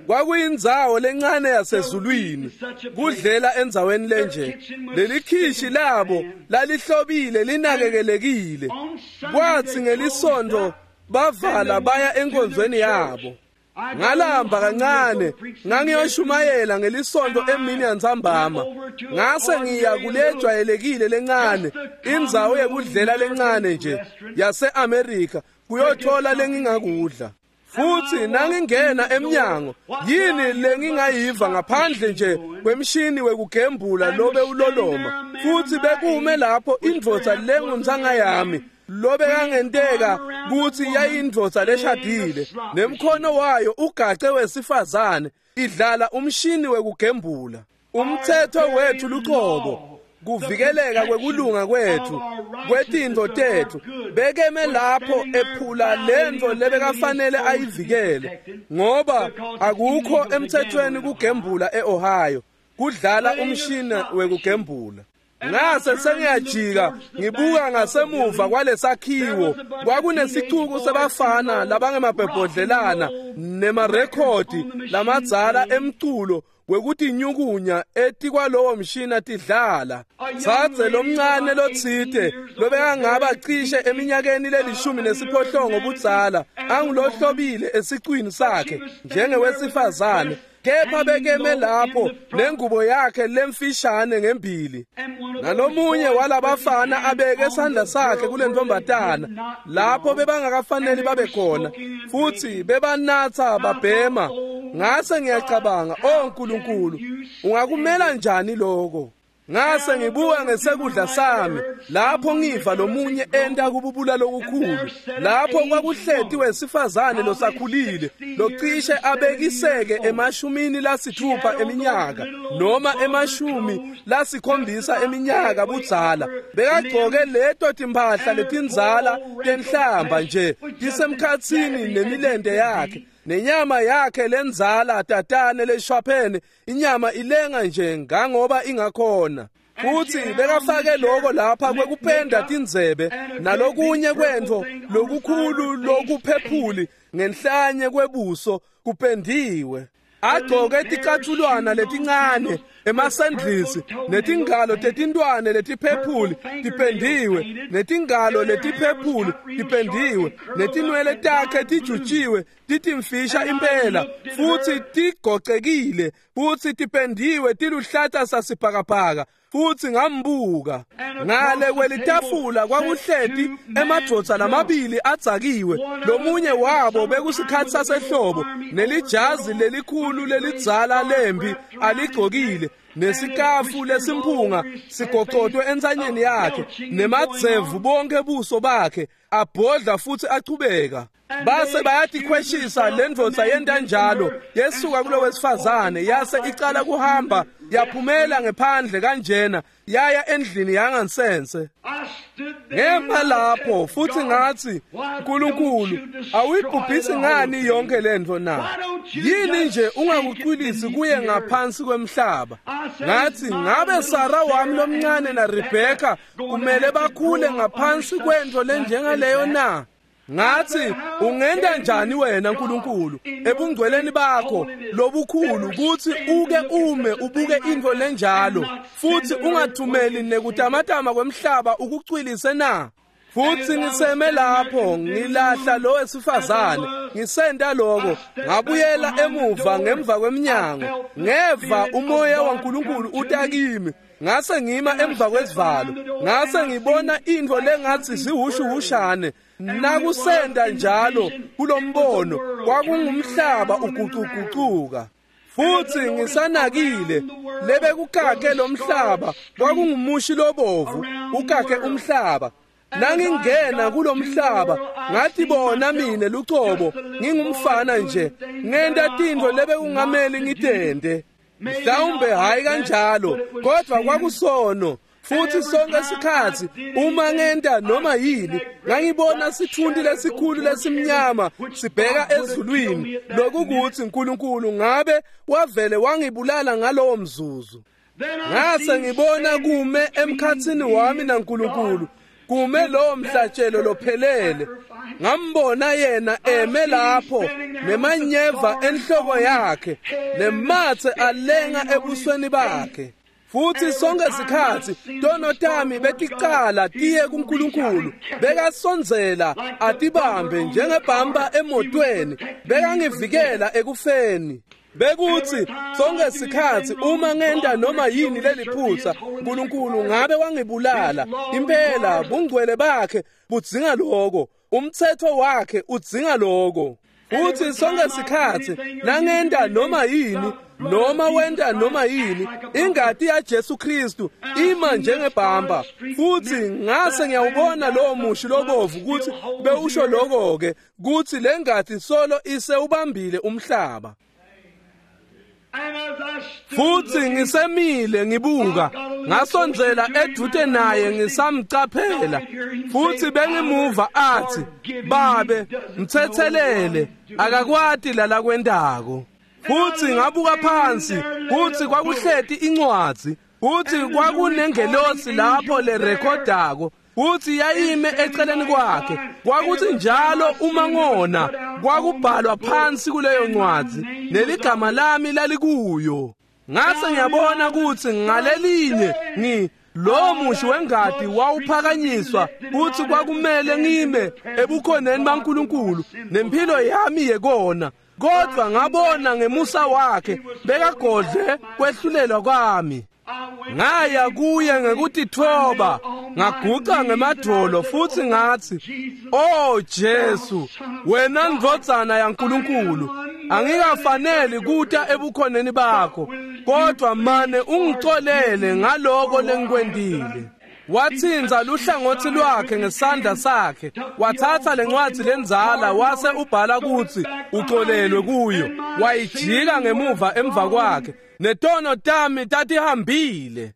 Kwakuyindzawo lencane yasezulwini kudlela endzaweni lenje. Lelikhishi labo lalihlobile linakekelekile. Kwathi ngelisonto bavala baya enkonzweni yabo. Ngalamba kancane ngangiyoshumayela ngelisonto emini yantsambama. Ngase ngiya kulejwayelekile lencane, indzawo yekudlela lencane nje yase-Amerika, kuyothola lengingakudla. Futhi nangingena emnyango, yini lengingayiva ngaphandle nje kwemshini wekugembula lobe uloloma. Futhi bekume lapho indvodza lengumtsanga yami, lobe kangenteka kuthi yayindvodza leshadile, nemkhono wayo ugace wesifazane idlala umshini wekugembula. Umthetho wethu lucobo, kuvikeleka kwekulunga kwethu, kwetintfo tethu, bekeme lapho ephula lentfo lebekafanele ayivikele, ngoba akukho emthethweni kugembula eOhio, kudlala umshini wekugembula. Ngase sengiyajika ngibuka ngasemuva kwalesakhiwo, kwakunesicuku sebafana labangemabhebhodlelana nemarekhodi lamadzala emculo wekutinyukunya etikwalowo mshina tidlala. Tsatse lomncane lotsite lobekangaba cishe eminyakeni lelishumi nesiphohlongo budzala, angulohlobile esicwini sakhe njengewesifazane, kepha bekeme lapho nengubo yakhe lemfishane ngembili. Nalomunye walabafana abeke sandla sakhe kulentombatana lapho bebangakafaneli babe khona, futhi bebanatha babhema. Ngase ngiyacabanga, "Oh Nkulunkulu, ungakumela njani lokho?" Ngase ngibuka ngesekudla sami lapho ngiva lomunye enta kububula lokukhulu. Lapho kwakuhleti wesifazane losakhulile locishe abekiseke emashumini lasithupha eminyaka noma emashumi lasikhombisa eminyaka budzala. Bekagcoke leto timphahla letindzala tenhlamba nje tisemkhatsini nemilente yakhe, nenyama yakhe lenzala tatane leshwaphene, inyama ilenga nje ngangoba ingakhona. Futhi bekafake lokho lapha kwekupenda tindzebe nalokunye kwentfo lokukhulu lokuphephuli ngenhlanye kwebuso kupendiwe. Agcoke ticathulwana letincane, emasandlisi, netingalo tetintwane letiphephuli tipendiwe, netingalo letiphephuli tipendiwe, netinwele takhe tijutshiwe titimfisha impela, futhi tigocekile, futhi tipendiwe tiluhlata sasibhakabhaka. Futhi ngambuka ngale kwelitafula kwakuhleti emadvodza lamabili adzakiwe. Lomunye wabo bekusikhatsi sasehlobo, nelijazi lelikhulu lelidzala lembi aligcokile, nesikafu lesimphunga sigocotwe entsanyeni yakhe, nemadzevu bonke buso bakhe, abhodla futhi achubeka. Base bayatikhweshisa lendvodza yenta njalo, yesuka kulo wesifazane yase icala kuhamba Yaphumela ngephandle kanjena yaya endlini yangansense. Ngema lapho futhi ngathi, "Nkulunkulu, awuyibhubhisi ngani yonke lento na? Yini nje ungakucwilisi kuye ngaphansi kwemhlaba?" Ngathi, "Ngabe Sara wami lomncane na Rebecca kumele bakhule ngaphansi kwento lenjengaleyo na?" Ngathi, "Ungenda njani wena Nkulunkulu ebungcweleni bakho lobukhulu ukuthi uke ume ubuke into lenjalo futhi ungathumeli nekutamatama kwemhlaba ukucwilise na?" Futhi ngiseme lapho ngilahla lo wesifazane ngisenda lokho, ngabuyela emuva ngemva kweminyango, ngeva umoya waNkulunkulu utakimi. Ngase ngima emva kwesivalo, ngase ngibona into lengathi sihushuhushane. Nakusenda njalo kulombono kwakungumhlaba ugucugucuka. Futhi ngisanakile lebekukake lomhlaba kwakungumushi lobovu ukake umhlaba. Nangingena kulomhlaba ngathi bona mine lucobo ngingumfana nje ngenta tintfo lebekungameli ngitente. Mhlawumbe hayi kanjalo, kodwa kwakusono. Futhi sonke isikhathi uma ngenta noma yini ngangibona sithunti lesikhulu lesimnyama sibheka ezulwini, lokukuthi uNkulunkulu ngabe wavele wangibulala ngalowo mzuzu. Ngase ngibona kume emkhathini wami naNkulunkulu, kume lowo mhlatshelo lophelele. Ngambona yena eme lapho nemanyeva enhloko yakhe nemathe alenga ebusweni bakhe. Futhi sonke isikhathi tono tami beticala tiye kuNkulunkulu, bekasondzela atibambe njengebhamba emotweni, bekangivikela ekufeni. Bekuthi sonke isikhathi uma ngenta noma yini leliphutha, uNkulunkulu ngabe wangibulala. Impela bungcwele bakhe budzinga lokho, umthetho wakhe udzinga lokho. Futhi sonke isikhathi nangenta noma yini noma wenta noma yini, ingati yaJesu Kristu ima njengebhamba. Futhi ngase ngiyawubona lowo mushi lobovu ukuthi bewusho lokho ke kuthi lengati solo isewubambile umhlaba. Futhi ngisemile ngibuka, ngasondzela edute naye ngisamcaphela. Futhi bengimuva athi, "Babe, mthethelele, akakwati lala kwentako." Futhi ngabuka phansi, kuthi kwakuhleti incwadzi, kuthi kwakunengelosi lapho lerekhodako, kuthi yayime eceleni kwakhe. Kwakuthi njalo uma ngona kwakubhalwa phansi kuleyo ncwadzi neligama lami lalikuyo. Ngase ngiyabona ukuthi ngalelinye ngi lo mushi wengadi wawuphakanyiswa kuthi kwakumele ngime ebukhoneni baNkulunkulu nempilo yami yekona, kodwa ngabona ngemusa wakhe bekagodle kwehlulelwa kwami. Ngaya kuye ngekutithoba, ngaguca ngemadolo futhi ngathi, "Oh Jesu, wena ndvodzana yaNkulunkulu, angikafaneli kuta ebukhoneni bakho, kodwa mane ungicolele ngaloko lengikwentile." Wathinza luhlangothi lwakhe ngesandla sakhe, wathatha lencwadi lenzala wase ubhala ukuthi ucolelwe kuyo, wayijika ngemuva emva kwakhe, netono tami tatihambile.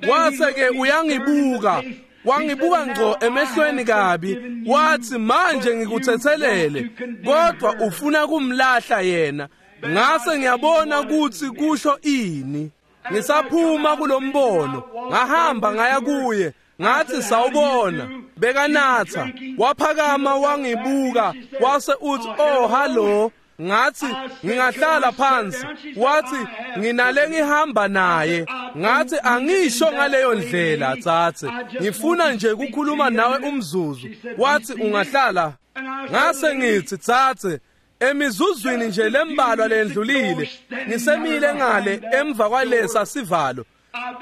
Wase ke uyangibuka, wangibuka ngco emehlweni kabi, wathi, "Manje ngikuthethelele, kodwa ufuna kumlahla yena." Ngase ngiyabona ukuthi kusho ini. Ngisaphuma kulombono, ngahamba ngaya kuye, ngathi, "Sawubona." Bekanatha, waphakama wangibuka, wase uthi, "Oh hallo." Ngathi, "Ngingahlala phansi?" Wathi, "Nginale ngihamba naye." Ngathi, "Angisho ngaleyo ndlela tsatse, ngifuna nje ukukhuluma nawe umzuzu." Wathi, "Ungahlala?" Ngase ngithi, "Tsatse, emizuzwini nje lembalwa lendlulile ngisemile ngale emva kwalesa sivalo."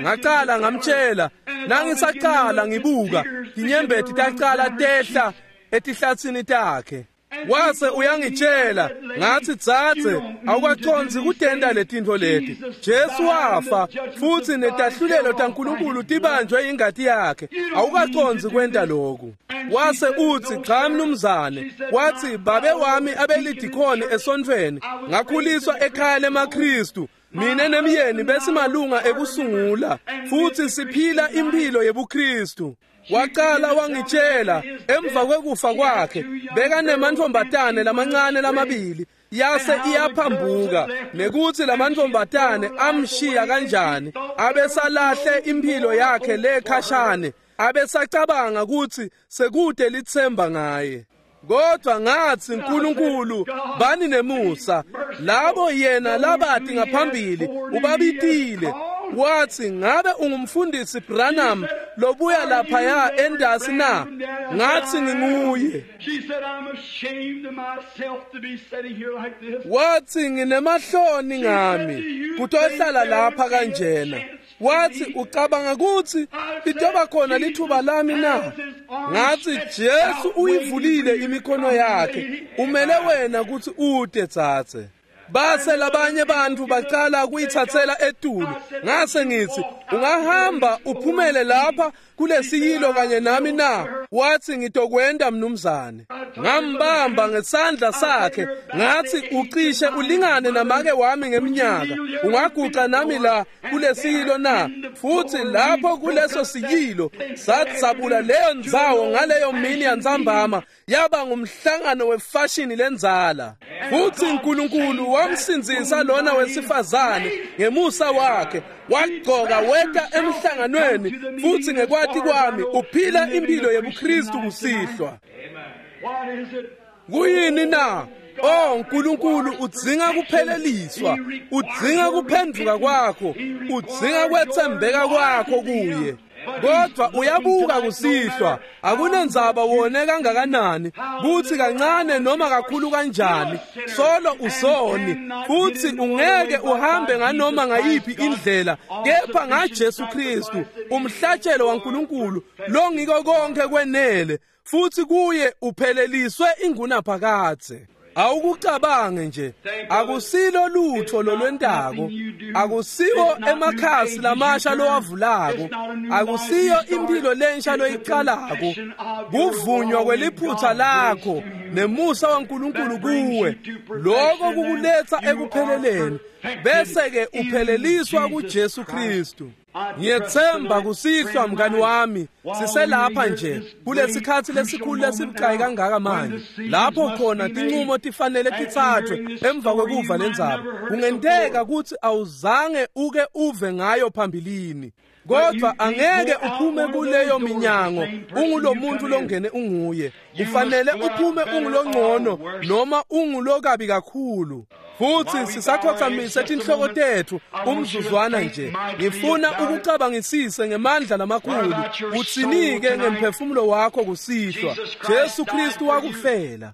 Ngaqala ngamtshela, nangisaqala ngibuka inyembeti taqala tehla etihlathini takhe. Wase uyangitshela, ngathi, "Tsatse, awukaconzi kutenda letintfo leti. Jesu wafa futhi netahlulelo taNkulunkulu tibanjwe ingati yakhe. Awukaconzi kwenta lokhu." Wase uthi, "Cha mnumzane." Wathi, "Babe wami abelidikhoni esontfweni, ngakhuliswa ekhaya lemaKristu. Mina nemyeni besimalunga ekusungula futhi siphila impilo yebuKristu. Waqala wangitshela emva kwekufa kwakhe bekanemantfombatane lamancane lamabili yase iyaphambuka nekuthi lamantfombatane amshiya kanjani abesalahle impilo yakhe lekhashane abesacabanga ukuthi sekude lithemba ngaye. Kodwa ngathi uNkulunkulu bani nemusa labo yena labati ngaphambili ubabitile. Wathi ngabe ungumfundisi Branham lobuya lapha ya endasi na? Ngathi nginguye. Wathi nginemahloni ngami kutohlala lapha kanjena. Wathi ucabanga ukuthi litoba khona lithuba lami na? Ngathi Jesu uyivulile imikhono yakhe, umele wena ukuthi ude tsatse. Base labanye bantu baqala kuyithathela etulu. Ngase ngithi ungahamba uphumele lapha kulesiyilo kanye nami na? Wathi ngitokwenda mnumzane. Ngambamba ngesandla sakhe ngathi ucishe ulingane namake wami ngeminyaka, ungaguqa nami la kulesiyilo na? Futhi lapho kuleso siyilo satsabula leyo ndzawo ngaleyo mini yantsambama yaba ngumhlangano wefashini lenzala. Futhi uNkulunkulu wamsindzisa lona wesifazane ngemusa wakhe, wagcoka weta emhlanganweni futhi ngekwati kwami uphila impilo yebuKristu kusihlwa. Kuyini na? Oh uNkulunkulu udzinga kupheleliswa, udzinga kuphenduka kwakho, udzinga kwethembeka kwakho kuye. Kodwa uyabuka kusihlwa akunendzaba wone kangakanani kuthi kancane noma kakhulu kanjani, solo usoni futhi ungeke uhambe nganoma ngayiphi indlela kepha ngaJesu Kristu umhlatshelo waNkulunkulu longiko konke kwenele, futhi kuye upheleliswe ingunaphakadze. Awukucabange nje, akusilo lutho lolwentako, akusiwo emakhasi lamasha lowavulako, akusiyo impilo lensha loyiqalako, kuvunywa kweliphutha lakho nemusa waNkulunkulu kuwe, lokho kukuletha ekupheleleni bese ke upheleliswa kuJesu Kristu. Ngiyethemba kusihlwa mngani wami siselapha nje kulesikhathi lesikhulu lesibucayi kangaka manje lapho khona tinqumo tifanele tithathwe emva kwekuva lendzaba. Kungenteka ukuthi awuzange uke uve ngayo phambilini, kodwa angeke uphume kuleyo minyango ungulomuntu longene unguye. Ufanele uphume ungulongcono noma ungulokabi kakhulu. Futhi sisakhothamise tinhloko tethu umzuzwana nje. Ngifuna ukucabangisise ngemandla lamakhulu utsinike ngemphefumulo wakho kusihlwa. Jesu Kristu wakufela.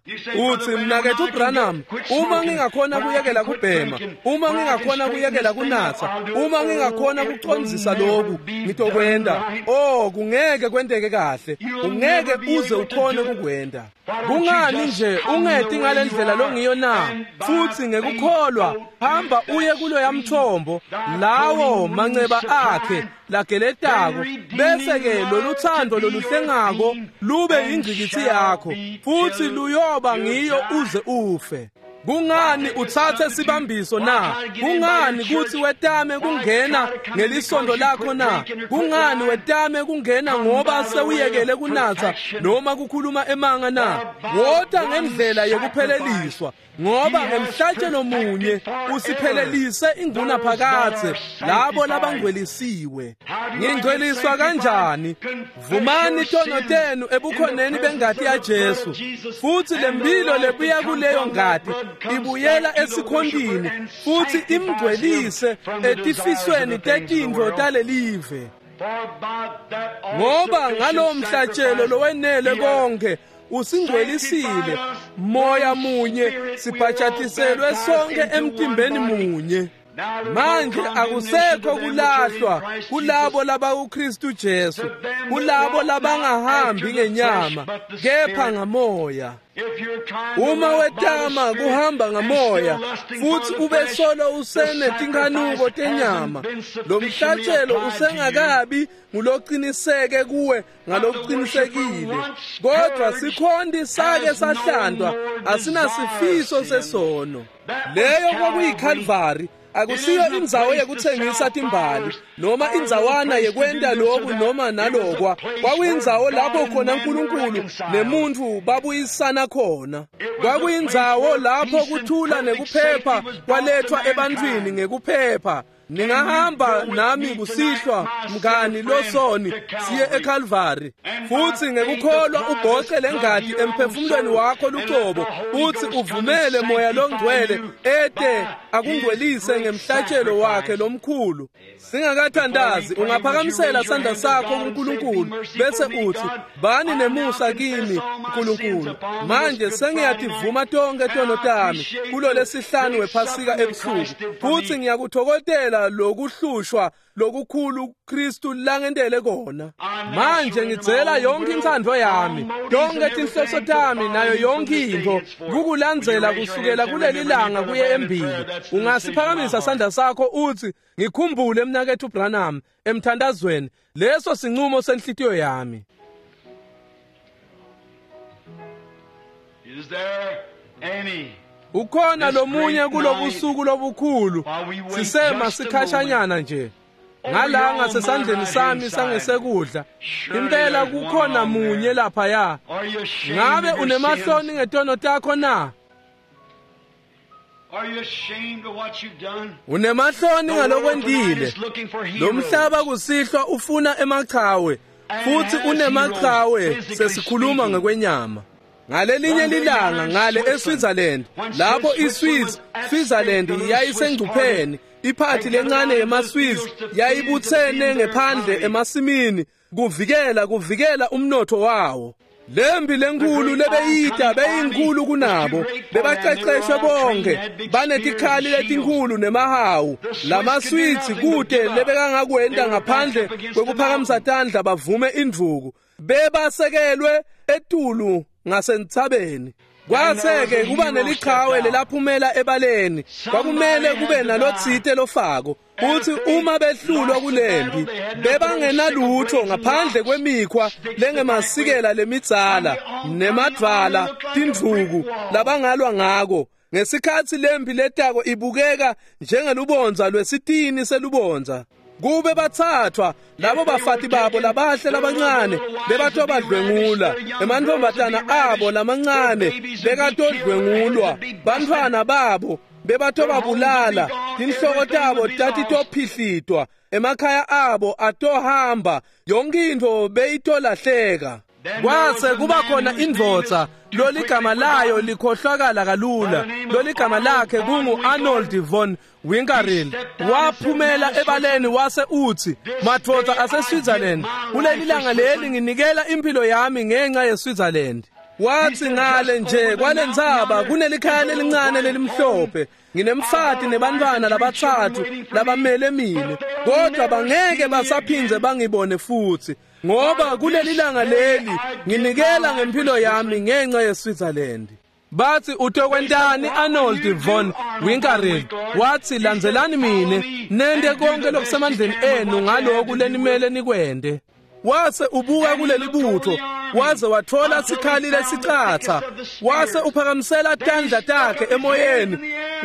Uthi mnakethu Branham, uma ngingakhona kuyekela kubhema, uma ngingakhona kuyekela kunatha, uma ngingakhona kucondzisa lokhu ngitokwenda. Oh kungeke kwenteke kahle, ungeke uze ukhone kukwenda. Kungani nje ungeti ngalendlela longiyo na? Futhi ngekukholwa hamba uye kulo yamthombo lawo manceba akhe lageletako, bese ke loluthando loluhlengako lube ingqikithi yakho futhi luyoba ngiyo uze ufe. Kungani uthathe sibambiso na? Kungani kuthi wetame kungena ngelisondo lakho na? Kungani wetame kungena ngoba sewuyekele kunatha noma kukhuluma emanga na? Wota ngendlela yokupheleliswa, ngoba ngemhlatshelo munye usiphelelise ingunaphakadze labo labangcwelisiwe. Ngingcweliswa kanjani? Vumani tono tenu ebukhoneni bengati yaJesu, futhi lempilo lebuya kuleyo ngati ibuyela esikhondini futhi imngcwelise etifisweni tetintfo talelive. Ngoba ngalowo mhlatshelo lowenele konke usingcwelisile, moya munye sibhajatiselwe sonke emtimbeni munye. Manje akusekho kulahlwa kulabo labakuKristu Jesu, kulabo labangahambi ngenyama kepha ngamoya. Uma wetama kuhamba ngamoya futhi ube solo usenetinkhanuko tenyama, lo mhlatshelo usengakabi nguloqiniseke kuwe ngalokuqinisekile. Kodwa sikhonti sake sahlandwa, asinasifiso sesono. Leyo kwakuyiKalvari. Akusiyo indzawo yekutsengisa timbali noma indzawana yekwenta loku noma nalokwa. Kwakuyindzawo lapho khona uNkulunkulu nemuntu babuyisana khona. Kwakuyindzawo lapho kuthula nekuphepha kwalethwa ebantwini ngekuphepha. Ningahamba nami kusihlwa mngani losoni siye eCalvary futhi ngekukholwa ubhoce lengadi emphefumulweni wakho lucobo uthi uvumele moya longcwele ete akungcwelise ngemhlatshelo wakhe lomkhulu. Singakathandazi ungaphakamisela sandla sakho kuNkulunkulu bese uthi bani nemusa kimi uNkulunkulu, manje sengiyativuma tonke tono tami kulo lesihlanu wephasika ebusuku futhi ngiyakuthokozela lokuhlushwa lokukhulu Kristu langentele kona. Manje ngidzela yonke intsandvo yami, tonke tinhloso tami nayo yonke intfo kukulandzela kusukela kuleli langa kuye embili. Ungasiphakamisa sandla sakho uthi ngikhumbule mnaketfu Branham emthandazweni, leso sinqumo senhlitiyo yami. Is there any Ukhona lomunye kulobusuku lobukhulu sisema sikhashanyana nje ngalanga sesandleni sami sangesekudla impela kukhona munye lapha ya. Ngabe unemahloni ngetono takho na? Unemahloni ngalokwentile. Lo mhlaba kusihlwa ufuna emachawe futhi unemachawe sesikhuluma ngekwenyama. Ngalelinye lilanga ngale eSwitzerland lapho iSwiss Switzerland yayisengcupheni, iphathi lencane yemaSwiss yayibuthene ngephandle emasimini kuvikela kuvikela umnotho wawo. Lembi lenkulu lebeyita beyinkulu kunabo, bebaqeqeshwe bonke banetikhali letinkulu nemahawu. LamaSwiss kude lebekangakwenta ngaphandle kwekuphakamisa tandla bavume indvuku, bebasekelwe etulu ngasentsabeni. Kwase-ke kuba nelichawe lelaphumela ebaleni, kwakumele kube nalotsite lofako. Futhi uma behlulwa kulempi bebangenalutho ngaphandle kwemikhwa lengemasikela lemidzala nemadvala tindvuku labangalwa ngako. Ngesikhatsi lempi letako ibukeka njengelubondza lwesitini selubondza, kube bathathwa labo bafati babo labahle labancane bebatobadlwengula, emantfombatana abo lamancane bekatodlwengulwa, bantfwana babo bebatobabulala, tinhloko tabo tatitophihlitwa, emakhaya abo atohamba, yonke intfo beyitolahleka. Kwase kuba khona indvodza loligama layo likhohlwakala kalula, loligama lakhe kungu Arnold von Winkelried. Waphumela ebaleni wase uthi, madvodza aseSwitzerland, kuleli langa leli nginikela impilo yami ngenxa yeSwitzerland. Wathi ngale nje kwalentsaba kunelikhaya lelincane lelimhlophe, nginemfati nebantfwana labatsatfu labamele mine, kodwa bangeke basaphindze bangibone futhi, ngoba kuleli langa leli nginikela ngempilo yami ngenxa yeSwitzerland. Bathi utokwentani Arnold von Winkelried? Wathi landzelani mine nente konke lokusemandleni enu ngaloku lenimele nikwente. Wase ubuka kuleli butho waze wathola sikhali lesicatsa, wase uphakamisela tandla takhe emoyeni,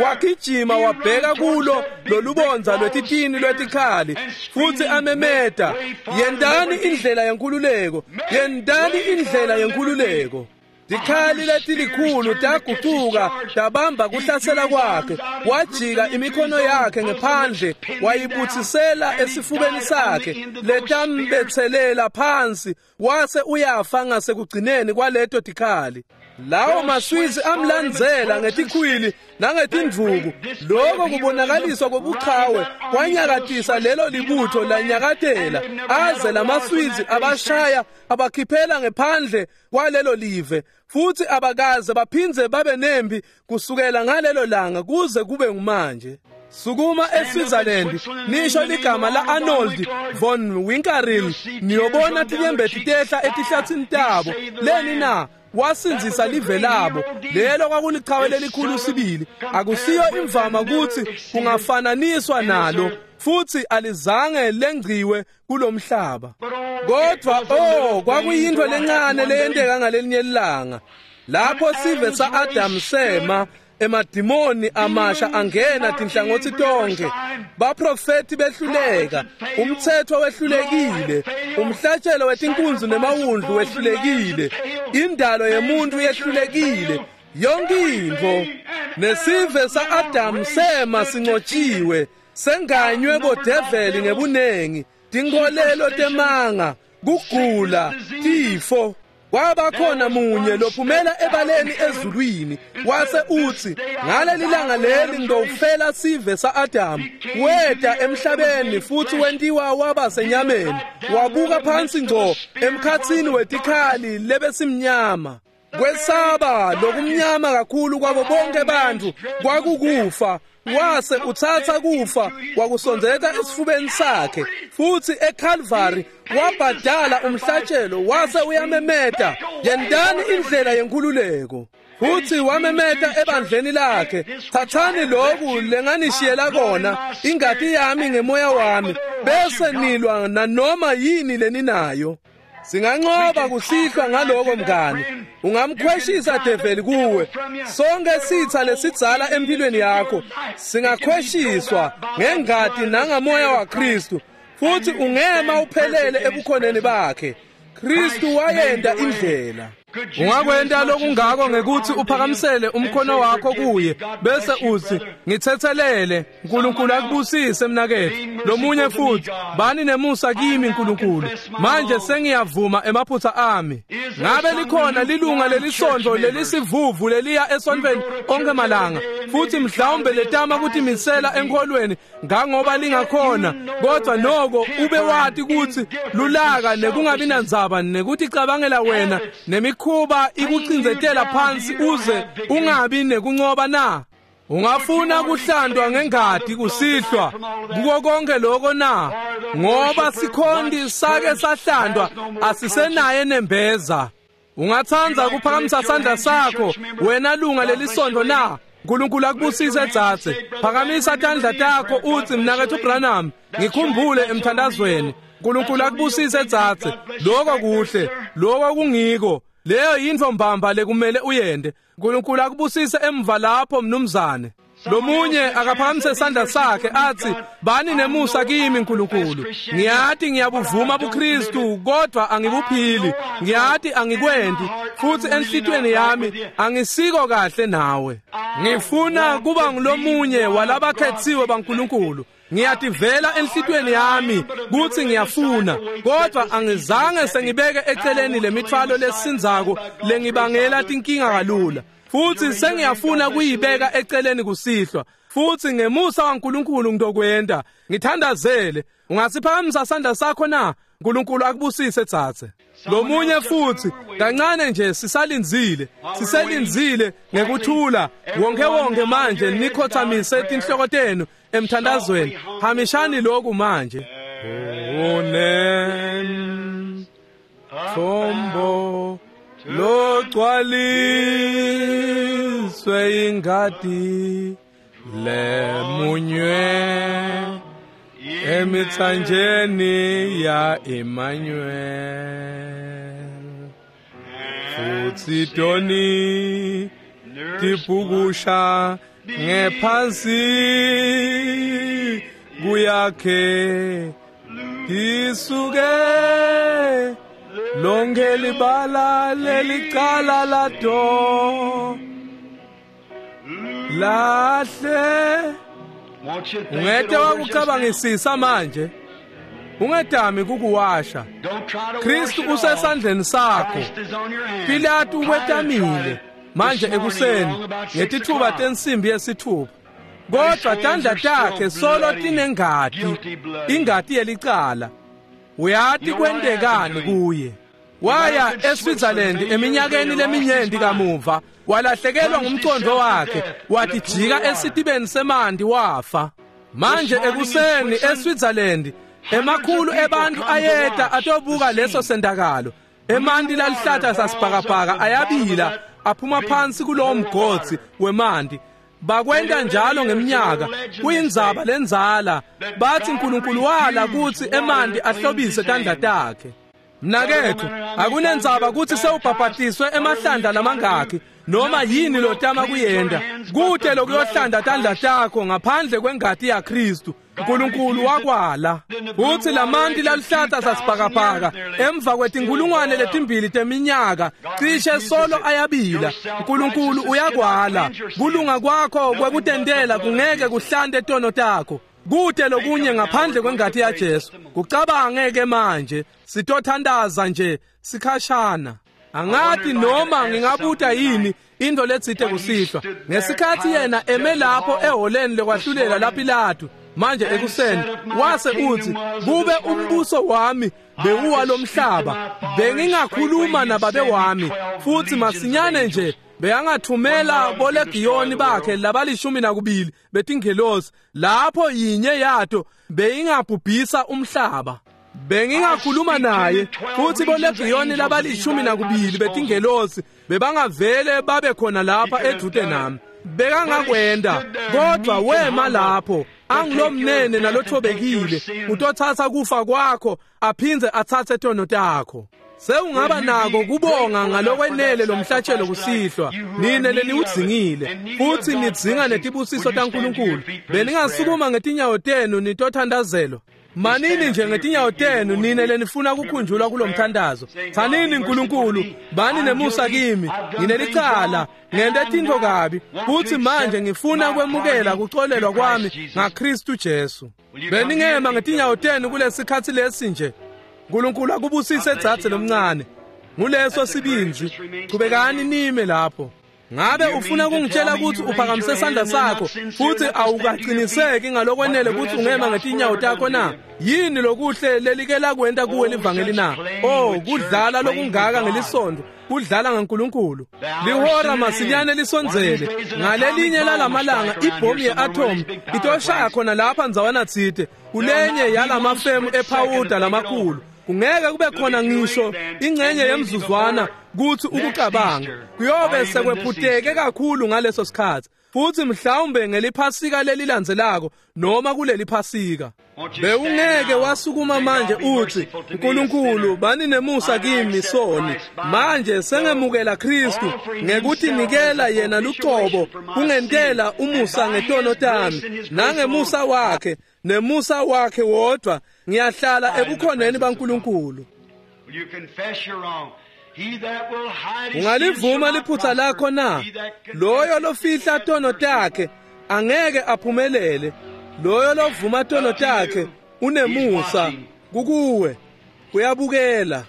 wagijima wabheka kulo lolubondza lwetitini lwetikhali futhi amemeta, yentani indlela yenkululeko, yentani indlela yenkululeko. Tikhali letilikhulu tagucuka tabamba kuhlasela kwakhe, wajika imikhono yakhe ngephandle wayibuthisela esifubeni sakhe letambethelela phansi, wase uyafa ngasekugcineni kwaleto tikhali. Lawo maSwiss amlandzela ngetikhwili nangetindvuku. Lokho kubonakaliswa kobuchawe kwanyakatisa lelo libutho lanyakatela aze lamaSwiss abashaya abakhiphela ngephandle kwalelo live, futhi abakaze baphindze babe nempi kusukela ngalelo langa kuze kube ngumanje. Sukuma eSwitzerland nisho ligama la Arnold von Winkelried, niyobona tinyembeti tehla etihlathini tabo. Leni na? Wasindzisa live labo. Lelo kwakulichawe lelikhulu sibili, akusiyo imvama kutsi kungafananiswa nalo, futhi alizange lengciwe kulomhlaba. Kodwa oh kwakuyintfo lencane leyenteka ngalelinye ilanga lapho sive sa-Adam sema Emadimoni amasha angena tinhlangotsi tonke. Baprofeti behluleka, umthetho wehlulekile, umhlatshelo wetinkunzi nemawundlu wehlulekile, indalo yemuntu yehlulekile, yonke intfo. Nesive sa-Adamu sema sincotshiwe, senganywe bodeveli ngebunengi, tinkholelo temanga, kugula, tifo. Kwaba khona munye lophumela ebaleni ezulwini wase utsi ngaleli langa leli ngidofela sive sa-Adamu. Weta emhlabeni futhi wentiwa waba senyameni, wabuka phansi ngco emkhatsini wetikhali lebesimnyama. Kwesaba lokumnyama kakhulu kwabo bonke bantfu kwakukufa. Wase utsatsa kufa wakusondzeta esifubeni sakhe, futsi eCalvary wabhadala umhlatshelo wase uyamemeta, yentani indlela yenkhululeko. Futsi wamemeta ebandleni lakhe, thathani loku lenganishiyela kona, ingati yami ngemoya wami, bese nilwa nanoma yini leninayo. Singanqoba kusihlwa ngaloko mngani. Ungamkhweshisa develi kuwe. Sonke sitha lesidzala empilweni yakho singakhweshiswa ngengati nangamoya waKristu, futhi ungema uphelele ebukhoneni bakhe. Kristu wayenda indlela. Ungakwenta lokungako ngekuthi uphakamisele umkhono wakho kuye bese uthi ngithethelele, uNkulunkulu akubusise mnaketfu. Lomunye futhi, bani nemusa kimi uNkulunkulu, manje sengiyavuma emaphutha ami. Ngabe likhona lilunga lelisonto lelisivuvu leliya esontweni onke malanga, futhi mhlawumbe letama kutimisela enkholweni ngangoba lingakhona, kodwa noko ube wati ukuthi lulaka nekungabi nandzaba nekuthi cabangela wena nemikhuba ikucindzetela phansi uze ungabi nekuncoba na? Ungafuna kuhlandwa ngengati kusihlwa kuko konke lokho na? Ngoba sikhondi sake sahlandwa, asisenaye nembeza. Ungathanda kuphakamisa sandla sakho wena lunga lelisonto na? uNkulunkulu akubusise dzadze. Phakamisa tandla takho uthi mnaketfu Branham, ngikhumbule emthandazweni. uNkulunkulu akubusise dzadze. Lokho kuhle, lokho kungiko. Leyo yintfo mbamba lekumele uyende. uNkulunkulu akubusise emva lapho mnumzane. Lomunye akaphakamise sandla sakhe athi bani nemusa kimi uNkulunkulu. Ngiyati ngiyabuvuma buKristu kodwa angibuphili. Ngiyati angikwendi futhi enhlitweni yami angisiko kahle nawe. Ngifuna kuba ngulomunye walabakhethiwe baNkulunkulu. Ngiyativela enhlitweni yami kuthi ngiyafuna, kodwa angizange sengibeke eceleni lemithwalo lesinzako lengibangela tinkinga kalula. Futhi sengiyafuna kuyibeka eceleni kusihlwa, futhi ngemusa waNkulunkulu ngidokwenda. Ngithandazele. Ungasiphakamisa sandla sakho na? uNkulunkulu akubusise dzadze. Lomunye futhi, kancane nje sisalindzile, siselindzile ngekuthula. Wonke wonke manje nikhothamise tinhloko tenu emthandazweni. Hamishani lokhu manje. Unem thombo logcwaliswe ingati lemunywe emithanjeni ya Emmanuel. Futhi toni tipukusha ngephansi kuyakhe tisuke lonke libala lelicala lato lahle. Ungete wakucabangisisa manje, ungetami kukuwasha. Kristu usesandleni sakho. Pilatu ukwetamile manje ekuseni ngetithuba tensimbi yesithupha, kodwa tandla takhe solo tinengati, ingati yelicala. Uyati kwentekani kuye. Waya eSwitzerland eminyakeni leminyenti kamuva, walahlekelwa ngumcondo wakhe, watijika esitibeni semanti wafa. Manje ekuseni eSwitzerland emakhulu ebantu ayeta atobuka leso sentakalo. Emanti lalihlata sasibhakabhaka ayabila aphuma phansi kulowo mgodzi wemanti. Bakwenta njalo ngeminyaka, kuyindzaba lendzala. Bathi uNkulunkulu wala kutsi emanti ahlobise tandla takhe. Mnaketfu, akunendzaba kutsi sewubhabhatiswe emahlandla lamangakhi, Noma yini lotama kuyenda, kute lokuyohlanda tandla takho ngaphandle kwengati yaKristu. uNkulunkulu wakwala uthi lamanti laluhlata sasibhakabhaka emva kwetinkulungwane letimbili teminyaka cishe solo ayabila. uNkulunkulu uyakwala. Kulunga kwakho kwekutentela kungeke kuhlante tono takho. Kute lokunye ngaphandle kwengati yaJesu. Kucabange ke manje, sitothandaza nje sikhashana. Angathi noma ngingabuta yini into letsite kusihlwa. Ngesikhathi yena eme lapho eholeni lekwahlulela laPilato manje ekuseni, wase uthi, kube umbuso wami bewuwa lomhlaba, bengingakhuluma nababe wami, futhi masinyane nje beyangathumela bolegiyoni bakhe labalishumi nakubili betingelosi, lapho yinye yato beyingabhubhisa umhlaba. Bengingakhuluma naye futhi bolegiyoni labalishumi nakubili betingelosi bebangavele babe khona lapha edvute nami. Bekangakwenda, kodwa wema lapho angilomnene nalothobekile, utotsatsa kufa kwakho aphindze atsatse tono takho. Sewungaba nako kubonga ngalokwenele lomhlatshelo kusihlwa, nine leniwudzingile futhi nidzinga netibusiso taNkulunkulu. Beningasukuma ngetinyawo tenu nitothandazelwa. Manini nje ngetinyawo tenu nine lenifuna kukhunjulwa kulomthandazo. Tsanini uNkulunkulu, bani nemusa kimi, nginelicala, ngente tintfo kabi, futhi manje ngifuna kwemukela kuxolelwa kwami ngaKristu Jesu. Beningema ngetinyawo tenu kulesikhatsi lesi nje. uNkulunkulu akubusise dzadze lomncane. Nguleso sibindzi. Chubekani nime lapho. Ngabe ufuna kungitshela ukuthi uphakamise sandla sakho futhi awukaqiniseki ngalokwenele ukuthi ungema ngetinyawo takho na? Yini lokuhle lelike lakwenta kuwe livangeli na? Oh, kudlala lokungaka ngelisonto, kudlala ngaNkulunkulu. Lihora masinyane lisondzele. Ngalelinye lalamalanga ibhomu ye-atom itoshaya khona lapha ndzawana tsite kulenye yalamafemu ephawuda lamakhulu. Kungeke kube khona ngisho ingcenye yemzuzwana kuthi ukucabanga. Kuyobe sekwephuteke kakhulu ngaleso sikhathi, futhi mhlawumbe ngeliphasika lelilandzelako noma kuleli phasika. Bewungeke wasukuma manje uthi, uNkulunkulu bani nemusa kimi soni, manje sengemukela Kristu ngekuthi nikela yena lucobo kungentela umusa ngetono tami, nangemusa wakhe nemusa wakhe wodwa ngiyahlala ebukhoneni baNkulunkulu. Ungalivuma liphutha lakho na? Loyo lofihla tono takhe angeke aphumelele. Loyo lovuma tono takhe unemusa kukuwe, uyabukela.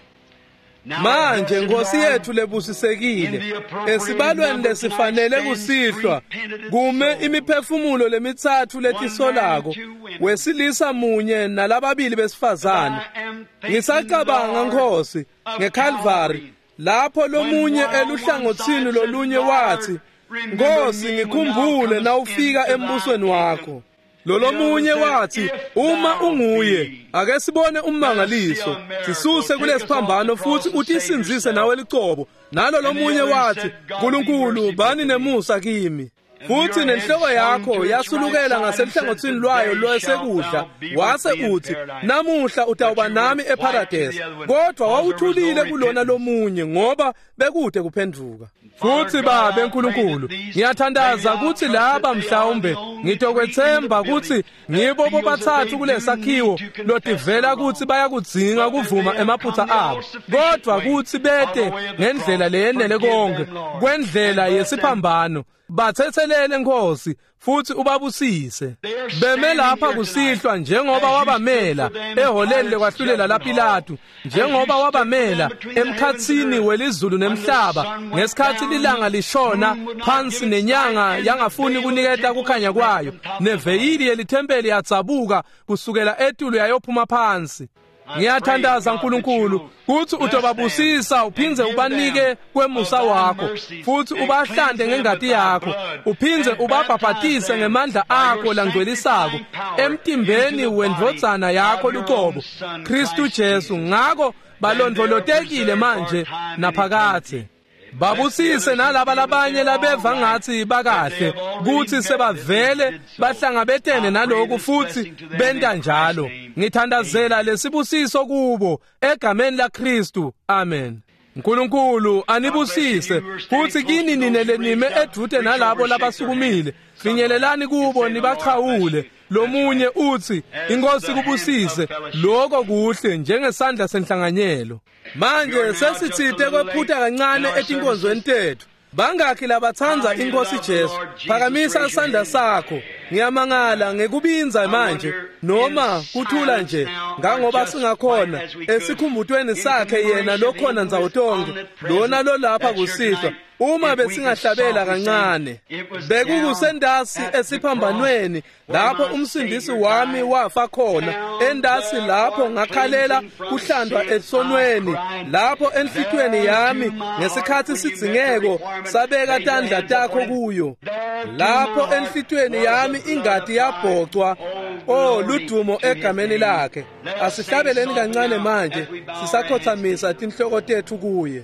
Manje Nkosi yethu lebusisekile, esibalweni lesifanele kusihlwa kume imiphefumulo lemitsatfu letisolako, wesilisa munye nalababili besifazane. Ngisacabanga Nkosi ngeCalvary, lapho lomunye eluhlangotsini lolunye wathi, Nkosi ngikhumbule nawufika embusweni wakho. Lolomunye wathi, uma unguye, ake sibone ummangaliso, sisuse kulesiphambano futhi utisinzise nawe licobo. Nalo lomunye wathi, uNkulunkulu bani nemusa kimi. Futhi nenhloko yakho yasulukela ngaselihlangotsini lwayo lwesekudla, wase uthi, namuhla utawuba nami eParadise. Kodwa wawuthulile kulona lomunye ngoba bekude kuphenduka. Futhi Babe uNkulunkulu, ngiyathandaza ukuthi laba mhlawumbe ngitokwethemba ukuthi ngibo bobathathu kulesakhiwo lotivela ukuthi bayakudzinga kuvuma emaphutha abo, kodwa kuthi bete ngendlela leyenele konke kwendlela yesiphambano. Bathethelele Nkosi futhi ubabusise. Beme lapha kusihlwa njengoba wabamela eholeni lekwahlulela laPilato, njengoba wabamela emkhatsini welizulu nemhlaba ngesikhathi lilanga lishona phansi nenyanga yangafuni kuniketa kukhanya kwayo, neveyili yelithempeli yatsabuka kusukela etulu yayophuma phansi. Ngiyathandaza uNkulunkulu kuthi utobabusisa uphindze ubanike kwemusa wakho, futhi ubahlande ngengati yakho, uphindze ubabhabhatise ngemandla akho langcwelisako emtimbeni wendvodzana yakho lucobo, Kristu Jesu. Ngako balondvolotekile manje naphakathe. Babusise nalaba labanye labeva ngathi bakahle kuthi sebavele bahlangabetene naloku futhi benta njalo. Ngithandazela lesibusiso kubo egameni laKristu. Amen. Nkulunkulu anibusise futhi kini nine lenime edvute nalabo labasukumile finyelelani kubo nibachawule lomunye uthi inkosi kubusise lokho kuhle njengesandla senhlanganyelo. Manje sesitsite kwephuta kancane etinkonzweni tethu. Bangakhi labatsandza inkosi Jesu? Phakamisa isandla sakho. Ngiyamangala ngekubinza manje noma kuthula nje ngangoba singakhona esikhumbutweni sakhe yena lokhona ndzawo tonke lona lolapha kusihlwa. Uma besingahlabela kancane bekukusendasi esiphambanweni lapho umsindisi wami wafa khona, endasi lapho ngakhalela kuhlandwa esonweni, lapho enhlitweni yami ngesikhathi sidzingeko sabeka tandla takho kuyo, lapho enhlitweni yami ingati yabhocwa. Oh, ludumo egameni lakhe. Asihlabeleni kancane manje sisakhothamisa tinhloko tethu kuye.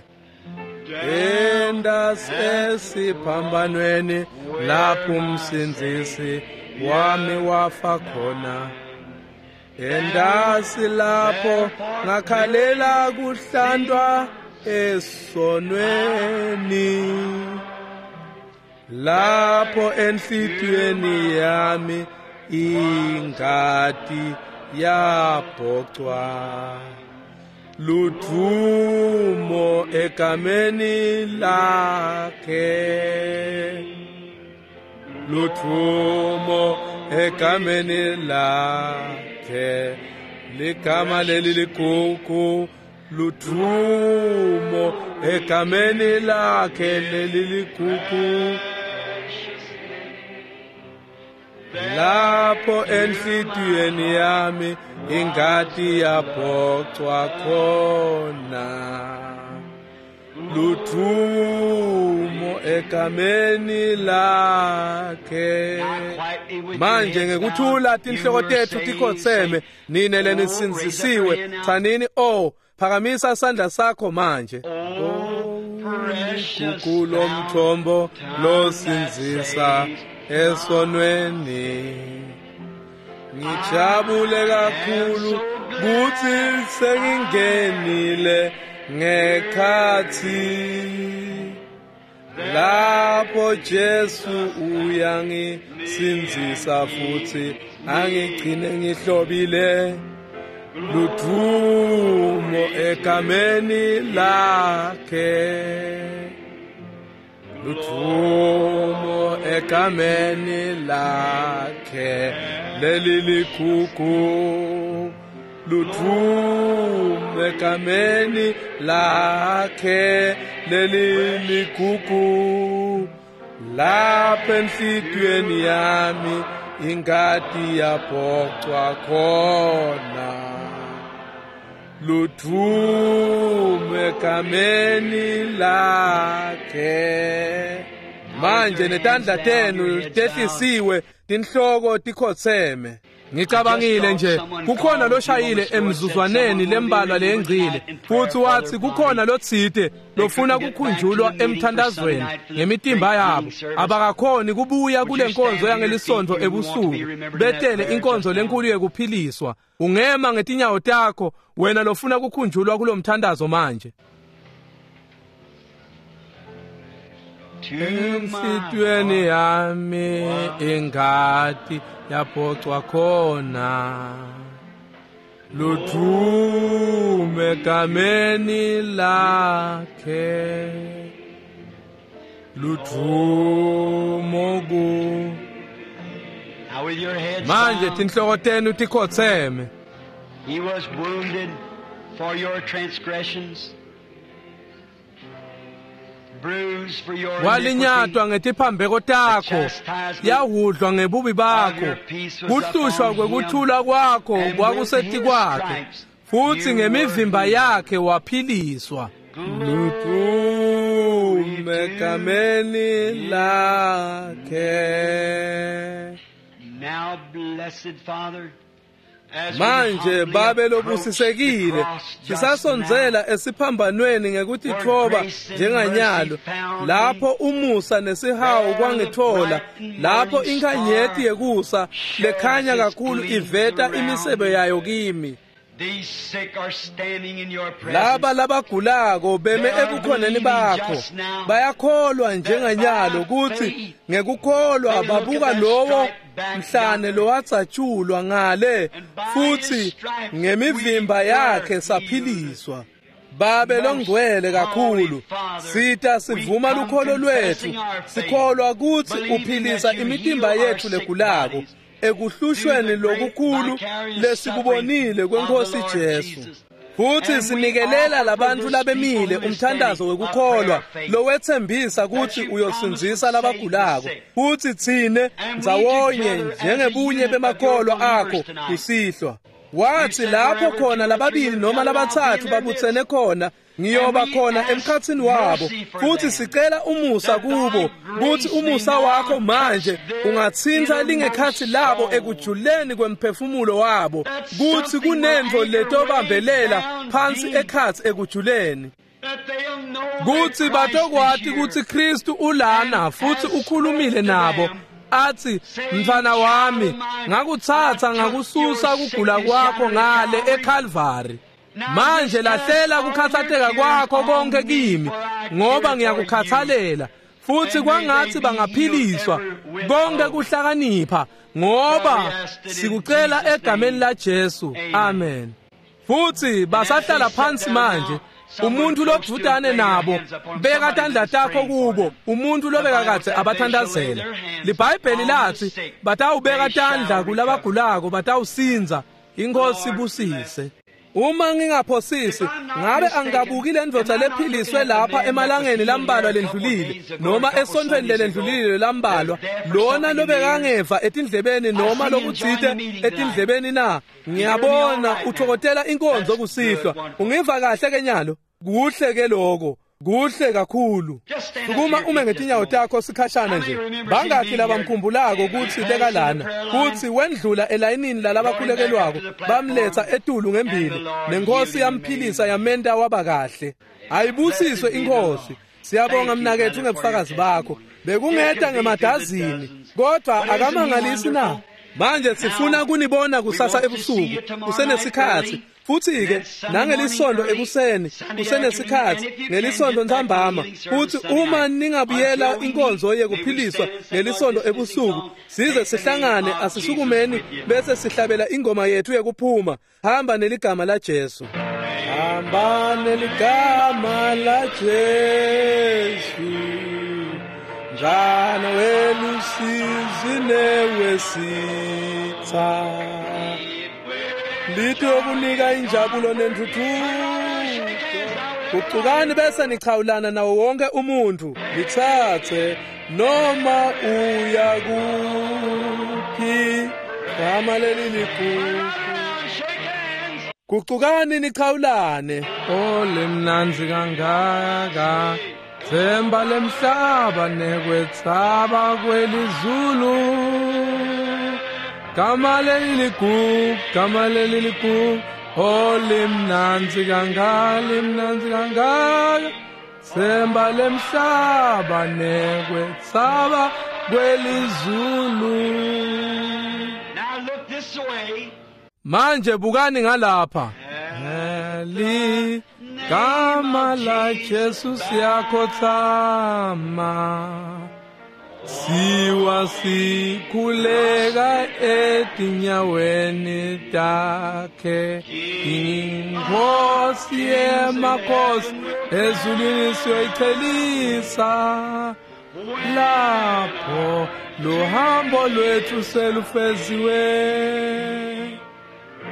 Endasi esiphambanweni lapho umsindzisi wami wafa khona, endasi lapho ngakhalela kuhlandwa esonweni, lapho enhlitiyweni yami ingati yabhocwa. Ludumo egameni lakhe, ludumo egameni lakhe, ligama leli ligugu, ludumo egameni lakhe leli ligugu. Lapho enhlitiyweni yami ingati yabhocwa khona, ludumo egameni lakhe. Manje ngekuthula tinhloko tethu tikhotseme, nine lenisindzisiwe tsanini oh, phakamisa isandla sakho manje. Gugu lomthombo losindzisa esonweni, ngijabule kakhulu kuthi sengingenile ngekhathi lapho Jesu uyangisindzisa futhi angigcine ngihlobile. Ludumo egameni lakhe, ludumo egameni lakhe leli ligugu, ludumo egameni lakhe leli ligugu. Lapha enhlitiyweni yami ingati yabhocwa khona, ludumo egameni lakhe. Manje netandla tenu tehlisiwe, tinhloko tikhotseme. Ngicabangile nje kukhona loshayile emzuzwaneni lembalwa lengcile futhi wathi kukhona lotsite lofuna kukhunjulwa emthandazweni ngemitimba yabo, abakakhoni kubuya kule nkonzo yangelisonto ebusuku betele inkonzo lenkulu yekuphiliswa. Ungema ngetinyawo takho wena lofuna kukhunjulwa kulomthandazo manje. Enhlitiyweni yami ingati yabhocwa khona, ludumo egameni lakhe, ludumo ku. Manje tinhloko tenu tikhotseme. He was wounded for your transgressions, walinyatwa ngetiphambeko takho, yahudlwa ngebubi bakho, kuhlushwa kwekuthula kwakho kwakusetikwakhe, futhi ngemivimba yakhe waphiliswa. Ludumo egameni lakhe. Now, blessed Father, Manje babe lobusisekile sisasondzela esiphambanweni ngekutitfoba njenganyalo, lapho umusa nesihawu kwangithola, lapho inkanyeti yekusa lekhanya kakhulu iveta imisebe yayo kimi. Laba labagulako beme ebukhoneni bakho bayakholwa njenganyalo kutsi ngekukholwa babuka lowo mhlane lowatsatshulwa ngale futsi ngemivimba yakhe saphiliswa. Babe longcwele kakhulu, sita sivuma lukholo lwetfu, sikholwa kutsi uphilisa imitimba yetfu legulako ekuhlushweni lokukhulu lesikubonile kweNkosi Jesu. Futhi sinikelela labantfu labemile umthandazo wekukholwa lowetsembisa kutsi uyosindzisa labagulako, futsi tsine ndzawonye njengebunye bemakholwa akho kusihlwa. Wathi lapho khona lababili noma labatsatfu babutsene khona, ngiyoba khona emkhatsini wabo. Futhi sicela umusa kubo kutsi umusa wakho manje ungatsintsa lingekhatsi labo ekujuleni kwemphefumulo wabo, kutsi kunentfo letobambelela phansi ekhatsi ekujuleni, kutsi batokwati kutsi Kristu ulana futhi ukhulumile nabo athi, mntfwana wami, ngakutsatsa ngakususa kugula kwakho ngale eKalvari. Manje lahlela kukhatsateka kwakho konke kimi, ngoba ngiyakukhathalela. Futhi kwangathi bangaphiliswa konke kuhlakanipha, ngoba sikucela egameni la Jesu. Amen. Futhi basahlala phansi manje. Umuntu lodvutane nabo beka tandla takho kubo, umuntu lobeka kadze abathandazela. LiBhayibheli lathi batawubeka tandla kulabagulako batawusindza. Inkosi ibusise. Uma ngingaphosisi, ngabe angikabuki le ndvodza lephiliswe lapha emalangeni lambalwa lendlulile noma esontfweni lelendlulile lambalwa, lona lobekangeva etindlebeni noma lokutsite etindlebeni na? Ngiyabona uthokotela inkonzo kusihlwa. Ungiva kahle ke nyalo? Kuhle ke lokho, kuhle kakhulu. Sukuma ume ngetinyawo takho sikhashana nje. Bangakhi labamkhumbulako kutsi bekalana, kutsi wendlula elayinini lalabakhulekelwako, bamletsa etulu ngembili, nenkosi yamphilisa yamenta waba kahle. Ayibusiswe inkosi. Siyabonga mnaketfu ngebufakazi bakho. Bekungeta ngemadazini, kodwa akamangalisi na? Manje sifuna kunibona kusasa ebusuku kusenesikhatsi, futhi ke nangelisondo ekuseni kusenesikhatsi, ngelisondo ntsambama. Futhi uma ningabuyela inkonzo yekuphiliswa ngelisondo ebusuku, size sihlangane, asisukumeni bese sihlabela ingoma yethu yekuphuma, hamba neligama la Jesu. Hamba neligama la Jesu, njana welusizi newesitha, litokunika injabulo nentuthuko. Gucukani bese nichawulana nawo wonke umuntu, lithathe noma uya kuphi, gama leli ligugu. Gucukani nichawulane. O lemnandzi kangaka, themba lemhlaba nekwetsaba kwelizulu, gama leli ligugu, gama leli ligugu, o limnandzi kangaka, limnandzi kangaka, themba lemhlaba nekwetsaba kwelizulu. Now look this way. Manje bukani ngalapha. Eli gama la Jesu siyakhotsama, siwa sikhuleka etinyaweni takhe, inkosi yemakhosi ezulwini siyoyichelisa, lapho luhambo lwethu selufeziwe.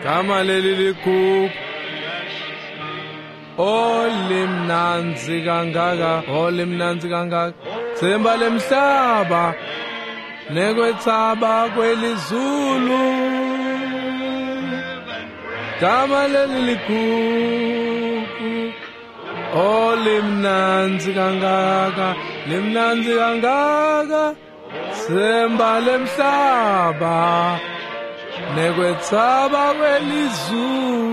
Gama leli ligugu, o limnandzi kangaka, o limnandzi kangaka, themba lemhlaba nekwetsaba kwelizulu, gama leli ligugu, o limnandzi kangaka, limnandzi kangaka, themba lemhlaba nekwetsaba kwelizulu.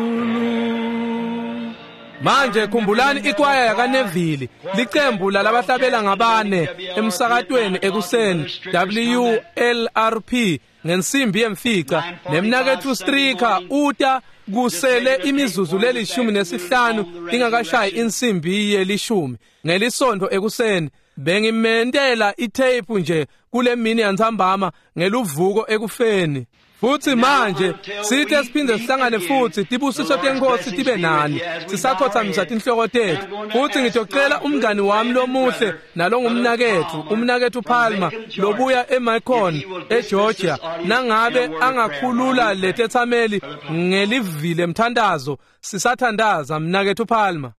Manje khumbulani ikwaya yakaNeville, licembu lalabahlabela ngabane emsakatweni ekuseni W L R P ngensimbi yemfica, nemnaketfu Stricker uta kusele imizuzu lelishumi nesihlanu ingakashayi insimbi yelishumi ngelisontfo ekuseni. Bengimentela itheyiphu nje kule mini yantsambama ngeluvuko ekufeni. Futhi manje sithe siphinde sihlangane futhi, tibusiso tenkosi tibe nani. Sisakhothamisa tinhloko tetfu, futhi ngitocela umngani wami lomuhle nalongumnaketfu, umnaketfu Palmer lobuya eMacon eGeorgia, nangabe angakhulula letetsameli ngelivile mthandazo. Sisathandaza, mnaketfu Palmer.